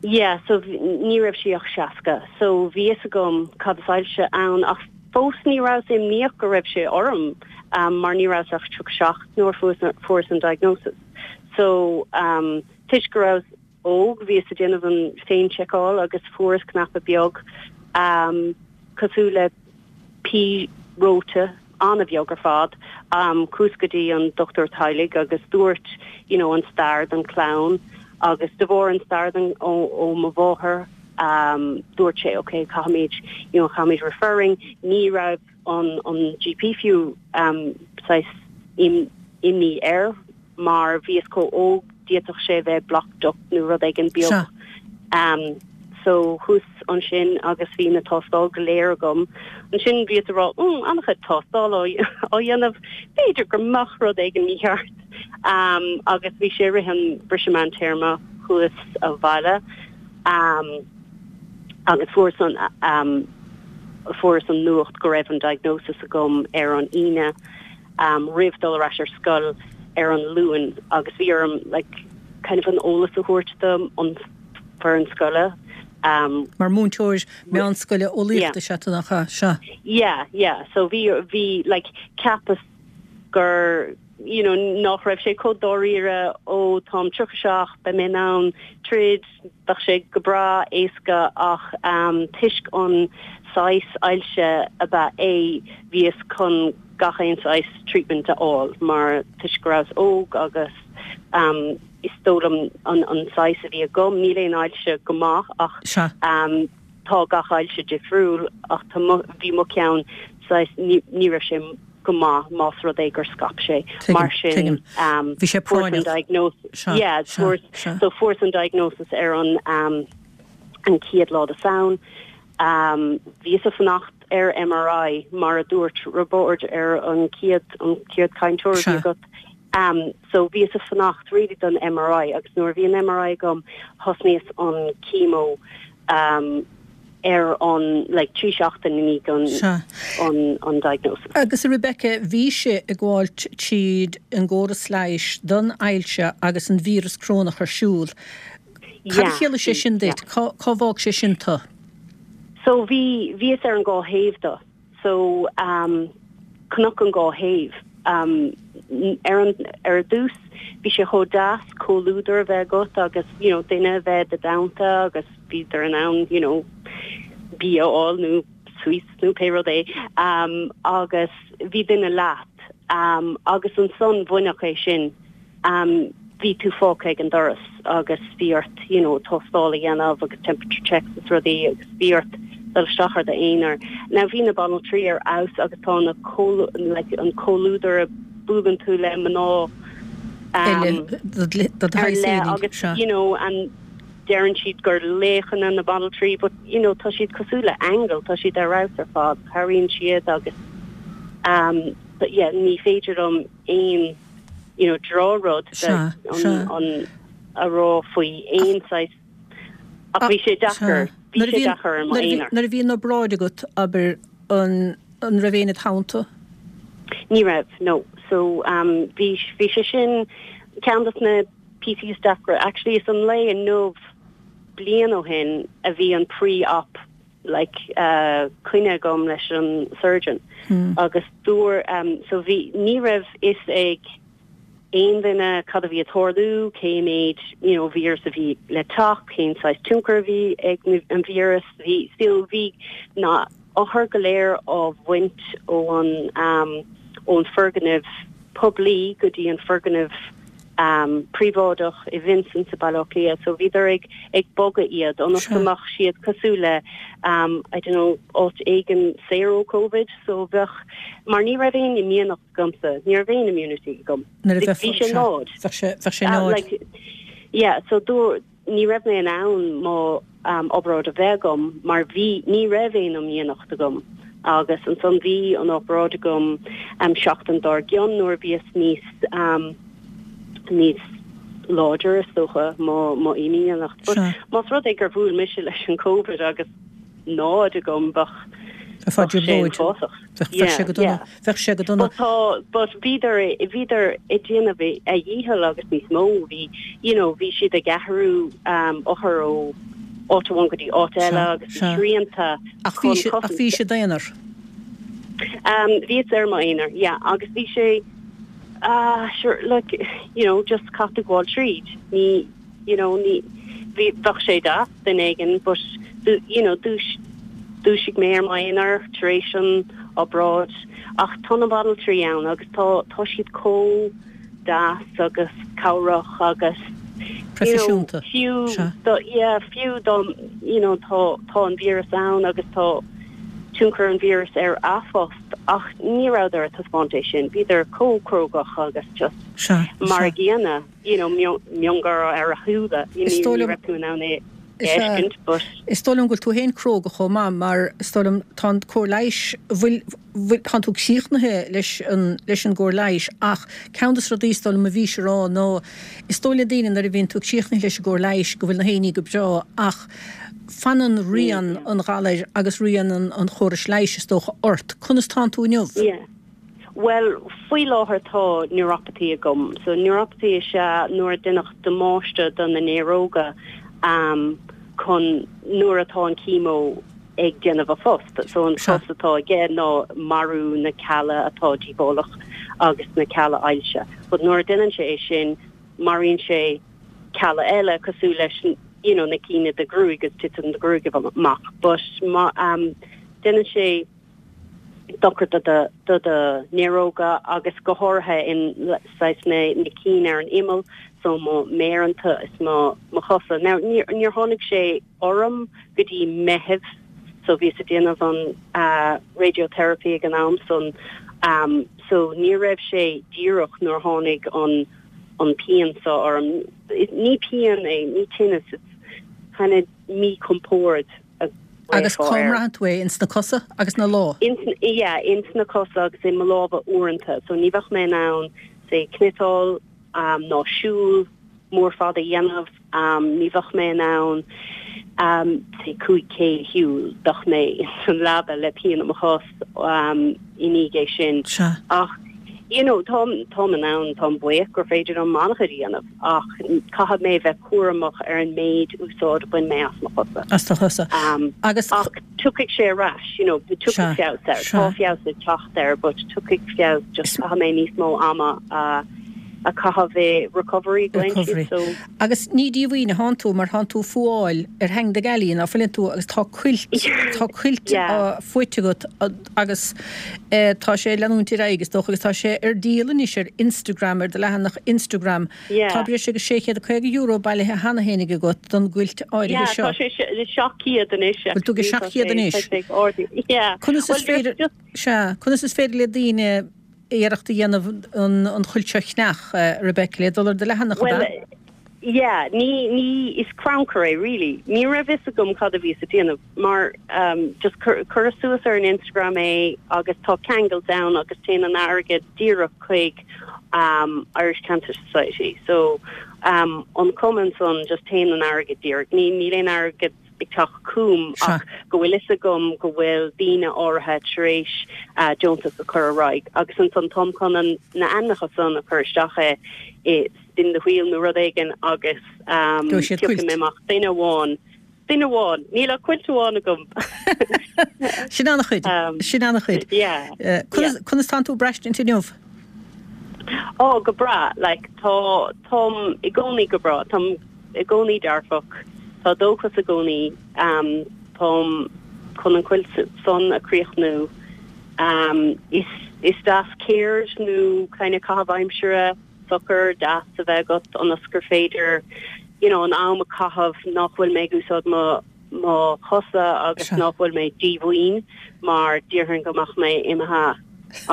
E: Yeah, so ní raibh sí ach seasca, so bhí fhios agam cad is ailse ann ach fós ní raibh imníoch go raibh sé orm um, mar ní raibh ach tríocha seacht nuair fuaireas an diagnosis. So um, toisc go raibh óg bhíos ag déanamh an féin-seiceáil agus fuaireas cnaipe beag um, cosúil le pí reoite an-bheag ar fad um, chuas go dtí an dochtúir teaghlaigh agus dúirt you know, an stair don chlann agus de bharr an stair den ó, ó mo mháthair um, dúirt sé okay caithfimid you know, caithfimid referring ní raibh an an GP fiú um, im, imní air mar bhíos chomh óg d'fhéadfadh sé bheith blocked duct nó rud éigin beag. Um, so chuas ansin agus bhí na tástáil go léir agam. Ansin bhí rá mm, an-chuid tástáil á dhéanamh b'fhéidir go mbeadh rud éigin mícheart. Um, agus bhí sé rith an briseadh meántéarma chuas abhaile. Um, agus fuaireas an um, fuaireas an nuacht go raibh an diagnosis agam ar an Aoine um, roimh dul ar ais ar scoil ar an Luan agus bhí orm like, kind of an eolas a thabhairt dom an foireann scoile. Um,
A: Mar múinteoir meánscoile eolaíochta is ea nach ea?
E: Yeah, yeah. So bhí bhí like cheapas gur you know nach raibh sé chomh dáiríre ó táim tríocha seacht beidh mé in ann troid beidh sé go breá éasca ach um, toisc an saghas ailse ab ea é bhíos chun gach aon saghas treatment a fháil mar toisc go rabhas óg agus um, is dóigh liom an, an saghas a bhí agam níl aon ailse go maith ach um, tá gach ailse difriúil ach bhí mo cheann saghas ní, ní raibh sé go maith más rud é gur scaip sé mar sin
A: um, bhí sé
E: diagnosis yeah, so fuaireas an diagnosis ar an um, an chéad lá de Samhain um, bhíos ag fanacht ar MRI mar a dúirt Roibeárd ar an chéad an chéad cainteoir agat. Um, so bhíos ag fanacht really don MRI agus nuair bhí an MRI agam thosnaíos an chemo um, ar an like trí seachtain i ndiaidh an an an diagnosis.
A: Agus a Rebecca bhí sé ag gabháil tríd an gcóras leighis don ailse agus an víreas corónach ar siúl. Cad a chiallaigh sé sin duit cá bhfág sé sin tú?
E: So bhí bhíos ar an dhá thaobh de. So um, cnoc an dhá thaobh. Um, ar an ar dtús bhí sé chomh deas comhluadar a bheith agat agus you know, duine a bheith i do theannta agus bhíodar in ann you know, bia a fháil nó sweets nó pé rud é um, agus bhí duine leat um, agus ansan baineadh é sin um, bhí tú fágtha ag an doras agus bhí ort you know, tástáil a dhéanamh agus temperature checks is rudaí agus bhí ort dul isteach ar d'aonar. Now bhí na banaltraí ar fheabhas agus tá na like, an comhluadar a buaileann tú le mná
A: um,
E: agus you know an Deireann siad gur laochanna na banaltraí but you know tá siad cosúil le aingil, tá siad ar fheabhas ar fad, cabhraíonn siad agus um but yeah ní féidir liom aon you know drochrud an a rá faoi aon saghas ach bhí sé deacair, bhí sé deacair ar m'aonar.
A: Nuair a bhí an obráid agat, abair, an an raibh éinne id theannta?
E: Ní raibh, no. So um bhí bhí sé sin ceann de na píosaí is deacra. Actually is an lae inniu bliain ó shin a bhí an pre-op like uh coinne agam leis an surgeon mm. agus dúr um so bhí ní raibh fhios ag aon duine cad a bhí ag tarlú, cé méid you know víreas a bhí le teacht, cén saghas tionchar a bhí ag an víreas, bhí still bhí na othair go léir á bhaint ón um ón foirgneamh poiblí go dtí an foirgneamh um príobháideach i Vincent sa Baile Átha Cliath so bhíodar ag ag bogadh iad ionas go mbeadh siad cosúil le um I don't know áit éigin saor ó Covid so bheadh mar ní raibh aon imdhíonacht agamsa ní raibh aon immunity agam bhí sé náid
A: bheadh sé bheadh sé náid
E: like yeah so dúr ní raibh mé in ann mo um obráid a bheith agam mar bhí ní raibh aon imdhíonacht agam agus ansan bhí an obráid agam um seachtain dár gcionn nuair a bhíos níos um níos láidre is dócha mo mo imdhíonacht. But más rud é gur bhuail mise leis an Covid agus náid agam bheadh
A: bheadh sé uafásach. Bheadh sé go dona. Bheadh sé go dona.
E: But tá but bhíodar bhíodar ag déanamh a dhícheall agus níos mó bhí you know bhí siad ag athrú um othair ó áit amháin go dtí áit eile agus bhí srianta
A: Ach bhí chun ach bhí sé i d'aonar.
E: Um bhíos ar m'aonar yeah agus bhí sé ah sure like you know just caithfidh tú gabháil tríd ní you know ní bhí bheadh sé deas duine éigin but you know dúis dúisigh mé ar m'aonar tar éis an obráid ach tá na banaltraí ann agus tá tá siad chomh deas agus cabhrach agus you know
A: Proifisiúnta.
E: fiú
A: Sea.
E: do yeah fiú dá you know tá tá an víreas ann agus tá tionchar an víreas ar a phost ach ní rabhadar ag taispeáint é sin bhíodar chomh crógach agus just
A: Sea,
E: mar
A: sea.
E: a gcéanna you know miongháire ar a shúile you
A: Is
E: ní
A: dóigh
E: ní
A: liom
E: raibh tú in ann é
A: Is ea.
E: fheiscint but
A: Is dóigh liom go bhfuil tú féin cróga chomh maith mar is dóigh liom tá an cóir leighis bhfuil bhfuil tánn tú críochnaithe leis an leis an gcóir leighis ach ceann de na rudaí is dóigh liom a bhís ag rá ná is dóigh le daoine nuair a bhíonn tú críochnaithe leis an gcóir leighis go bhfuil na haon ní go breá ach fanann rian an ghalair agus rian an an chórais leighis is dócha ort. Conas tánn tú inniu?
E: Yeah. Well, faoi láthair tá neuropathy agam. So neuropathy is ea nuair a deineadh damáiste do na néaróga um, chun nuair atá an chemo ag déanamh a phost. So an
A: Sea.
E: post atá aige ná marú na cealla atá díobhálach agus na cealla ailse. But nuair a deineann sé é sin, maraíonn sé cealla eile cosúil leis you know, na cinn i do ghruaig agus titeann do ghruaig amach. But ma, um, deineann sé dochar do do do do néaróga agus go háirithe in saghas na na cinn ar an imeall so mo méaranta is mo mo chosa. Now níor níor tháinig sé orm go dtí Meitheamh so bhíos ag déanamh an uh, radiotherapy ag an am san um, so ní raibh sé díreach nuair tháinig an an pian so orm. Ní pian é ní tinneas it's kind of míchompord a
A: Agus
E: ghlaofá
A: cá
E: air.
A: mbraitheann tú é ins na cosa agus na lámha.
E: Ins yeah, ins na cosa agus i mo lámha uaireanta, so ní bheadh mé in ann say cniotáil um, ná siúl mór fada a dhéanamh, um, ní bheadh mé in ann um, say cúig cé a shiúl, bheadh mé san leaba le pian i mo chos um, i ndiaidh é sin.
A: Sea.
E: Ach you know, táim táim in ann táim buíoch gur féidir liom an-chuid a dhéanamh ach caithfidh mé bheith cúramach ar an méid úsáid a bhain mé as mo chosa.
A: As do chosa.
E: Um,
A: Agus
E: ach tiocfaidh sé ar ais, you know,
A: Sea,
E: tiocfaidh feabhas air.
A: sea.
E: Tá feabhas ag teacht air, but tiocfaidh feabhas just caithfidh mé níos mó ama a a chaitheamh i recovery
A: Recovery.
E: Glenn, so
A: Agus ní díomhaoin atánn tú mar tánn tú fuáil ar theanga gealaí ná fuileann tú agus tá cuilt tá cuilt
E: Yeah.
A: á faighte agat a- agus eh, tá sé leanúint ar aghaidh is dócha agus tá sé ar díol anois ar Instagram ar do leathanach Instagram.
E: Yeah.
A: Tá breis agus sé chéad caoga euro bailithe cheana féin agat don gcuilt áirithe
E: Yeah,
A: seo.
E: tá sé sé seacht gcéad anois.
A: Bhfuil tú go
E: actually, tá
A: seacht gcéad
E: sé-
A: anois?
E: tá sé ag ardú. Yeah.
A: Conas is
E: Well,
A: féidir
E: just
A: sea, conas is féidir le daoine iarracht a dhéanamh an an chuilt seo a cheannach eh, Rebecca le dul ar do leathanach
E: Well,
A: ab ea?
E: Yeah, ní ní is crannchur é really. Ní raibh fhios agam cad a bhí ag déanamh mar um, just cuireadh suas ar an Instagram é agus tá ceangal ann agus téann an airgead díreach chuig um, Irish Cancer Society. So um, an cumann san just téann an airgead díreach. Ní níl aon airgead ag teacht chugam ach go bhfuil fhios agam go bhfuil daoine áirithe tar éis uh, deontas a chur ar aghaidh agus ansan táim chun an na ainmneacha san a chur isteach é i spin the wheel nó rud éigin agus um, mé amach duine amháin duine amháin níl ach quilt amháin agam.
A: Sin an-chuid sin an-chuid. Conas tánn tú ag braistint inniu?
E: Ó go breá like tá táim i gcónaí go breá táim i gcónaí dearfach tá dóchas i gcónaí um, táim chun an quilt san a chríochnú um, is is deas ceird nó kind of caitheamh aimsire socair deas a bheith agat ionas gur féidir you know, an am a chaitheamh nach bhfuil mé ag úsáid mo mo chosa agus nach bhfuil mé díomhaoin mar déarfainn go mbeadh mé imithe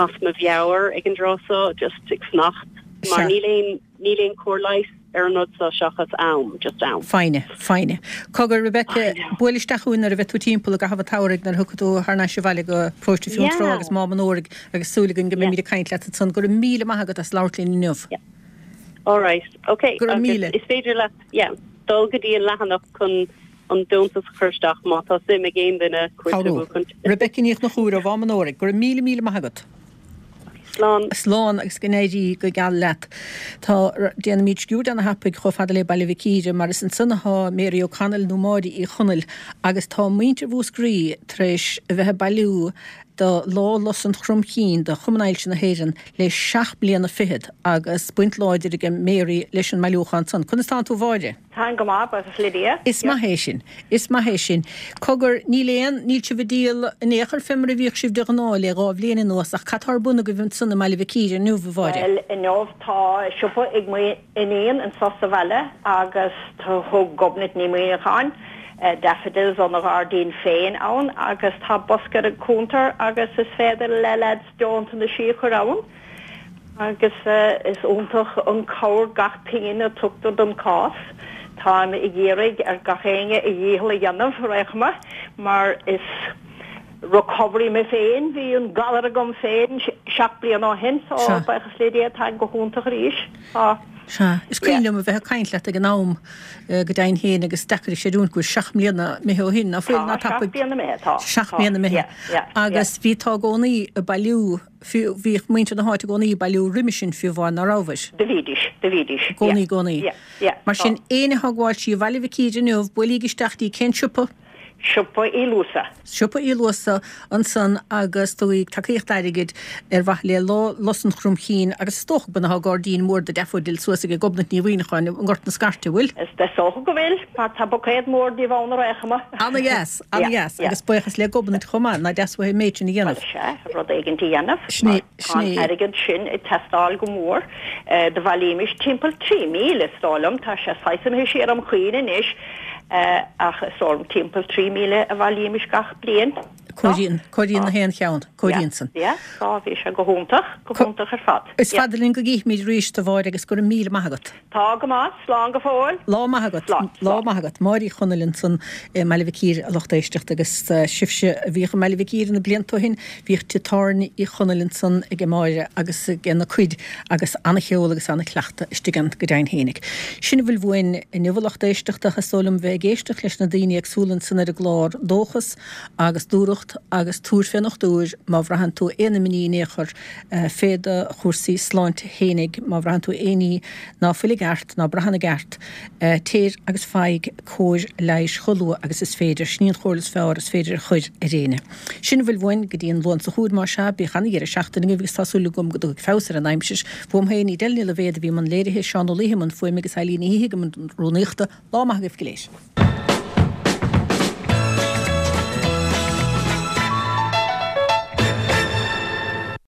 E: as mo mheabhair ag an dtráth seo just ag fanacht mar níl aon níl aon chóir leighis ar an rud seo seachas am just am.
A: Foighne, foighne. Cogar Rebecca buail isteach chugainn nuair a bheidh tú timpeall i gcaitheamh an tsamhraidh nuair a thiocfaidh tú thar n-ais abhaile go Paróiste Fionntrá agus Mám an Óraigh agus súil againn go mbeimid ag caint leat ansan. Go raibh míle maith agat as labhairt linn inniu.
E: All right. Okay.
A: Go raibh míle.
E: Is féidir leat yeah, dul go dtí an leathanach chun an deontas a chur isteach má tá suim ag aon duine
A: Cabhrú. Rebecca Ní Chonchúir ó Mhám an Óraigh, go raibh míle míle maith agat.
E: Slán.
A: Slán agus go n-éirí go geal leat. Tá déanaimid sciúrd ana-thapaidh chomh fada le Baile Mhic Íre mar is ansan atá Mary O'Connell nó Máire Uí Chonaill agus tá muintir Mhúscraí tar éis a bheith ag bailiú do Lá Lus an Chromchinn do Chumann Ailse na hÉireann le seacht mbliana fichead agus baint láidir ag Mary leis an mbailiúchán san. Conas tánn tú a Mháire?
F: Táim go maith, buíochas le Dia.
A: Is maith é sin. Is maith é sin. Cogar, níl aon, níl sibh ag díol in aon chor fé mar a bhíodh sibh de ghnáth le dhá bhliain anuas ach cad tá ar bun agaibh ansan i mBaile Mhic Íre inniu, a Mháire?
F: Bhuel, inniu tá siopa ag m'iníon anso sa bhaile agus thug Gobnait Ní Mhuineacháin daffodils óna gairdín féin ann agus tá bosca ar an cuntar agus is féidir le lads deontaisí a chur ann agus is iontach an cabhair gach pingin a tugtar don cás. Táim ag iarraidh ar gach éinne a dhícheall a dhéanamh ar aon chuma mar is recovery mé féin, bhí an galar agam féin seacht bliana ó shin so buíochas le Dia táim go hiontach arís. Tá.
A: Sea. Is cuimhin liom a bheith ag caint leat ag an am go deimhin féin agus deacair a chreidiúint go bhfuil seacht mbliana imithe ó shin, ná fuil, ná
F: Tá, seacht
A: tapaidh.
F: bliana imithe, tá,
A: Seacht
F: tá,
A: mbliana imithe.
F: yeah, yeah, yeah.
A: Agus bhí tú i gcónaí ag bailiú, fiú, bhíodh muintir na háite i gcónaí ag bailiú roimis sin fiú amháin, ná rabhais?
F: Do bhídís, do bhídís,
A: I
F: yeah,
A: gcónaí, i gcónaí.
F: yeah, yeah,
A: Mar
F: tá.
A: sin, éinne atá ag gabháil trí Bhaile Mhic Íre inniu, buailíg isteach dtí cén siopa?
F: Siopa Uí Luasa.
A: Siopa Uí Luasa ansan agus tugaigí tacaíocht airgid ar mhaithe le Lá Lus an Chromchinn agus is dócha go bhfuil gairdín mór de daffodils suas ag Gobnait Ní Mhuineacháin i nGort na Scairte, bhfuil?
F: Is dócha go bhfuil, mar tá buicéad mór díobh ann ar aon chuma.
A: Ana-dheas, ana-dheas agus buíochas le Gobnait chomh maith, nach deas uaithi an méid sin a dhéanamh.
F: Bhuel, sea, rud éigin a dhéanamh,
A: Sin é,
F: mar tá
A: sin
F: an
A: é.
F: airgead sin ag teastáil go mór. Do bhailímis timpeall trí mhíle, is dóigh liom, tá sé saghas imithe siar óm chuimhne anois, Ach is dóigh liom timpeall trí mhíle a bhailímis gach bliain.
A: Comhairíonn, comhairíonn na haon cheann, comhairíonn san.
F: Yeah, tá, bhí sé go hiontach, go hiontach ar fad.
A: Is fada linn go gcífimid arís, a Mháire, agus go raibh míle maith agat.
F: Tá go maith, slán go fóill.
A: Lá maith agat.
F: Slán,
A: Lá
F: slán.
A: maith agat. Máire Uí Chonaill ansan i mBaile Mhic Íre, a lucht éisteachta, agus sibhse a bhíodh i mBaile Mhic Íre na blianta ó shin, bhíodh tigh tábhairne Uí Chonaill ansan ag Máire agus ag ina cuid agus ana-cheol agus ana-chleachtadh istigh ann go deimhin fhéinig. Sin a bhfuil uainn inniu a lucht éisteachta, is dóigh liom bheith ag éisteacht leis na daoine éagsúla ansan ar an gclár, dóchas agus dúthracht agus tabhair fén ndochtúir má bhraitheann tú aon imní in aon chor fé do chúrsaí sláinte fhéinig, má bhraitheann tú aon ní ná fuil i gceart, ná braitheann i gceart, téir agus faigh cóir leighis chomh luath agus is féidir. Sin í an chomhairle is fearr is féidir a chur ar éinne. Sin a bhfuil uainn go dtí an Luan seo chugainn, más ea, bíodh ana-dheireadh seachtaine agaibh agus tá súil agam go dtiocfaidh feabhas ar an aimsir. Uaim féin, Edel Ní Loibhéad a bhí i mbun léirithe, Seán Ó Laoithe i mbun fuaime agus Eileen Ní hIgim i mbun rúnaíochta. Lá maith agaibh go léir.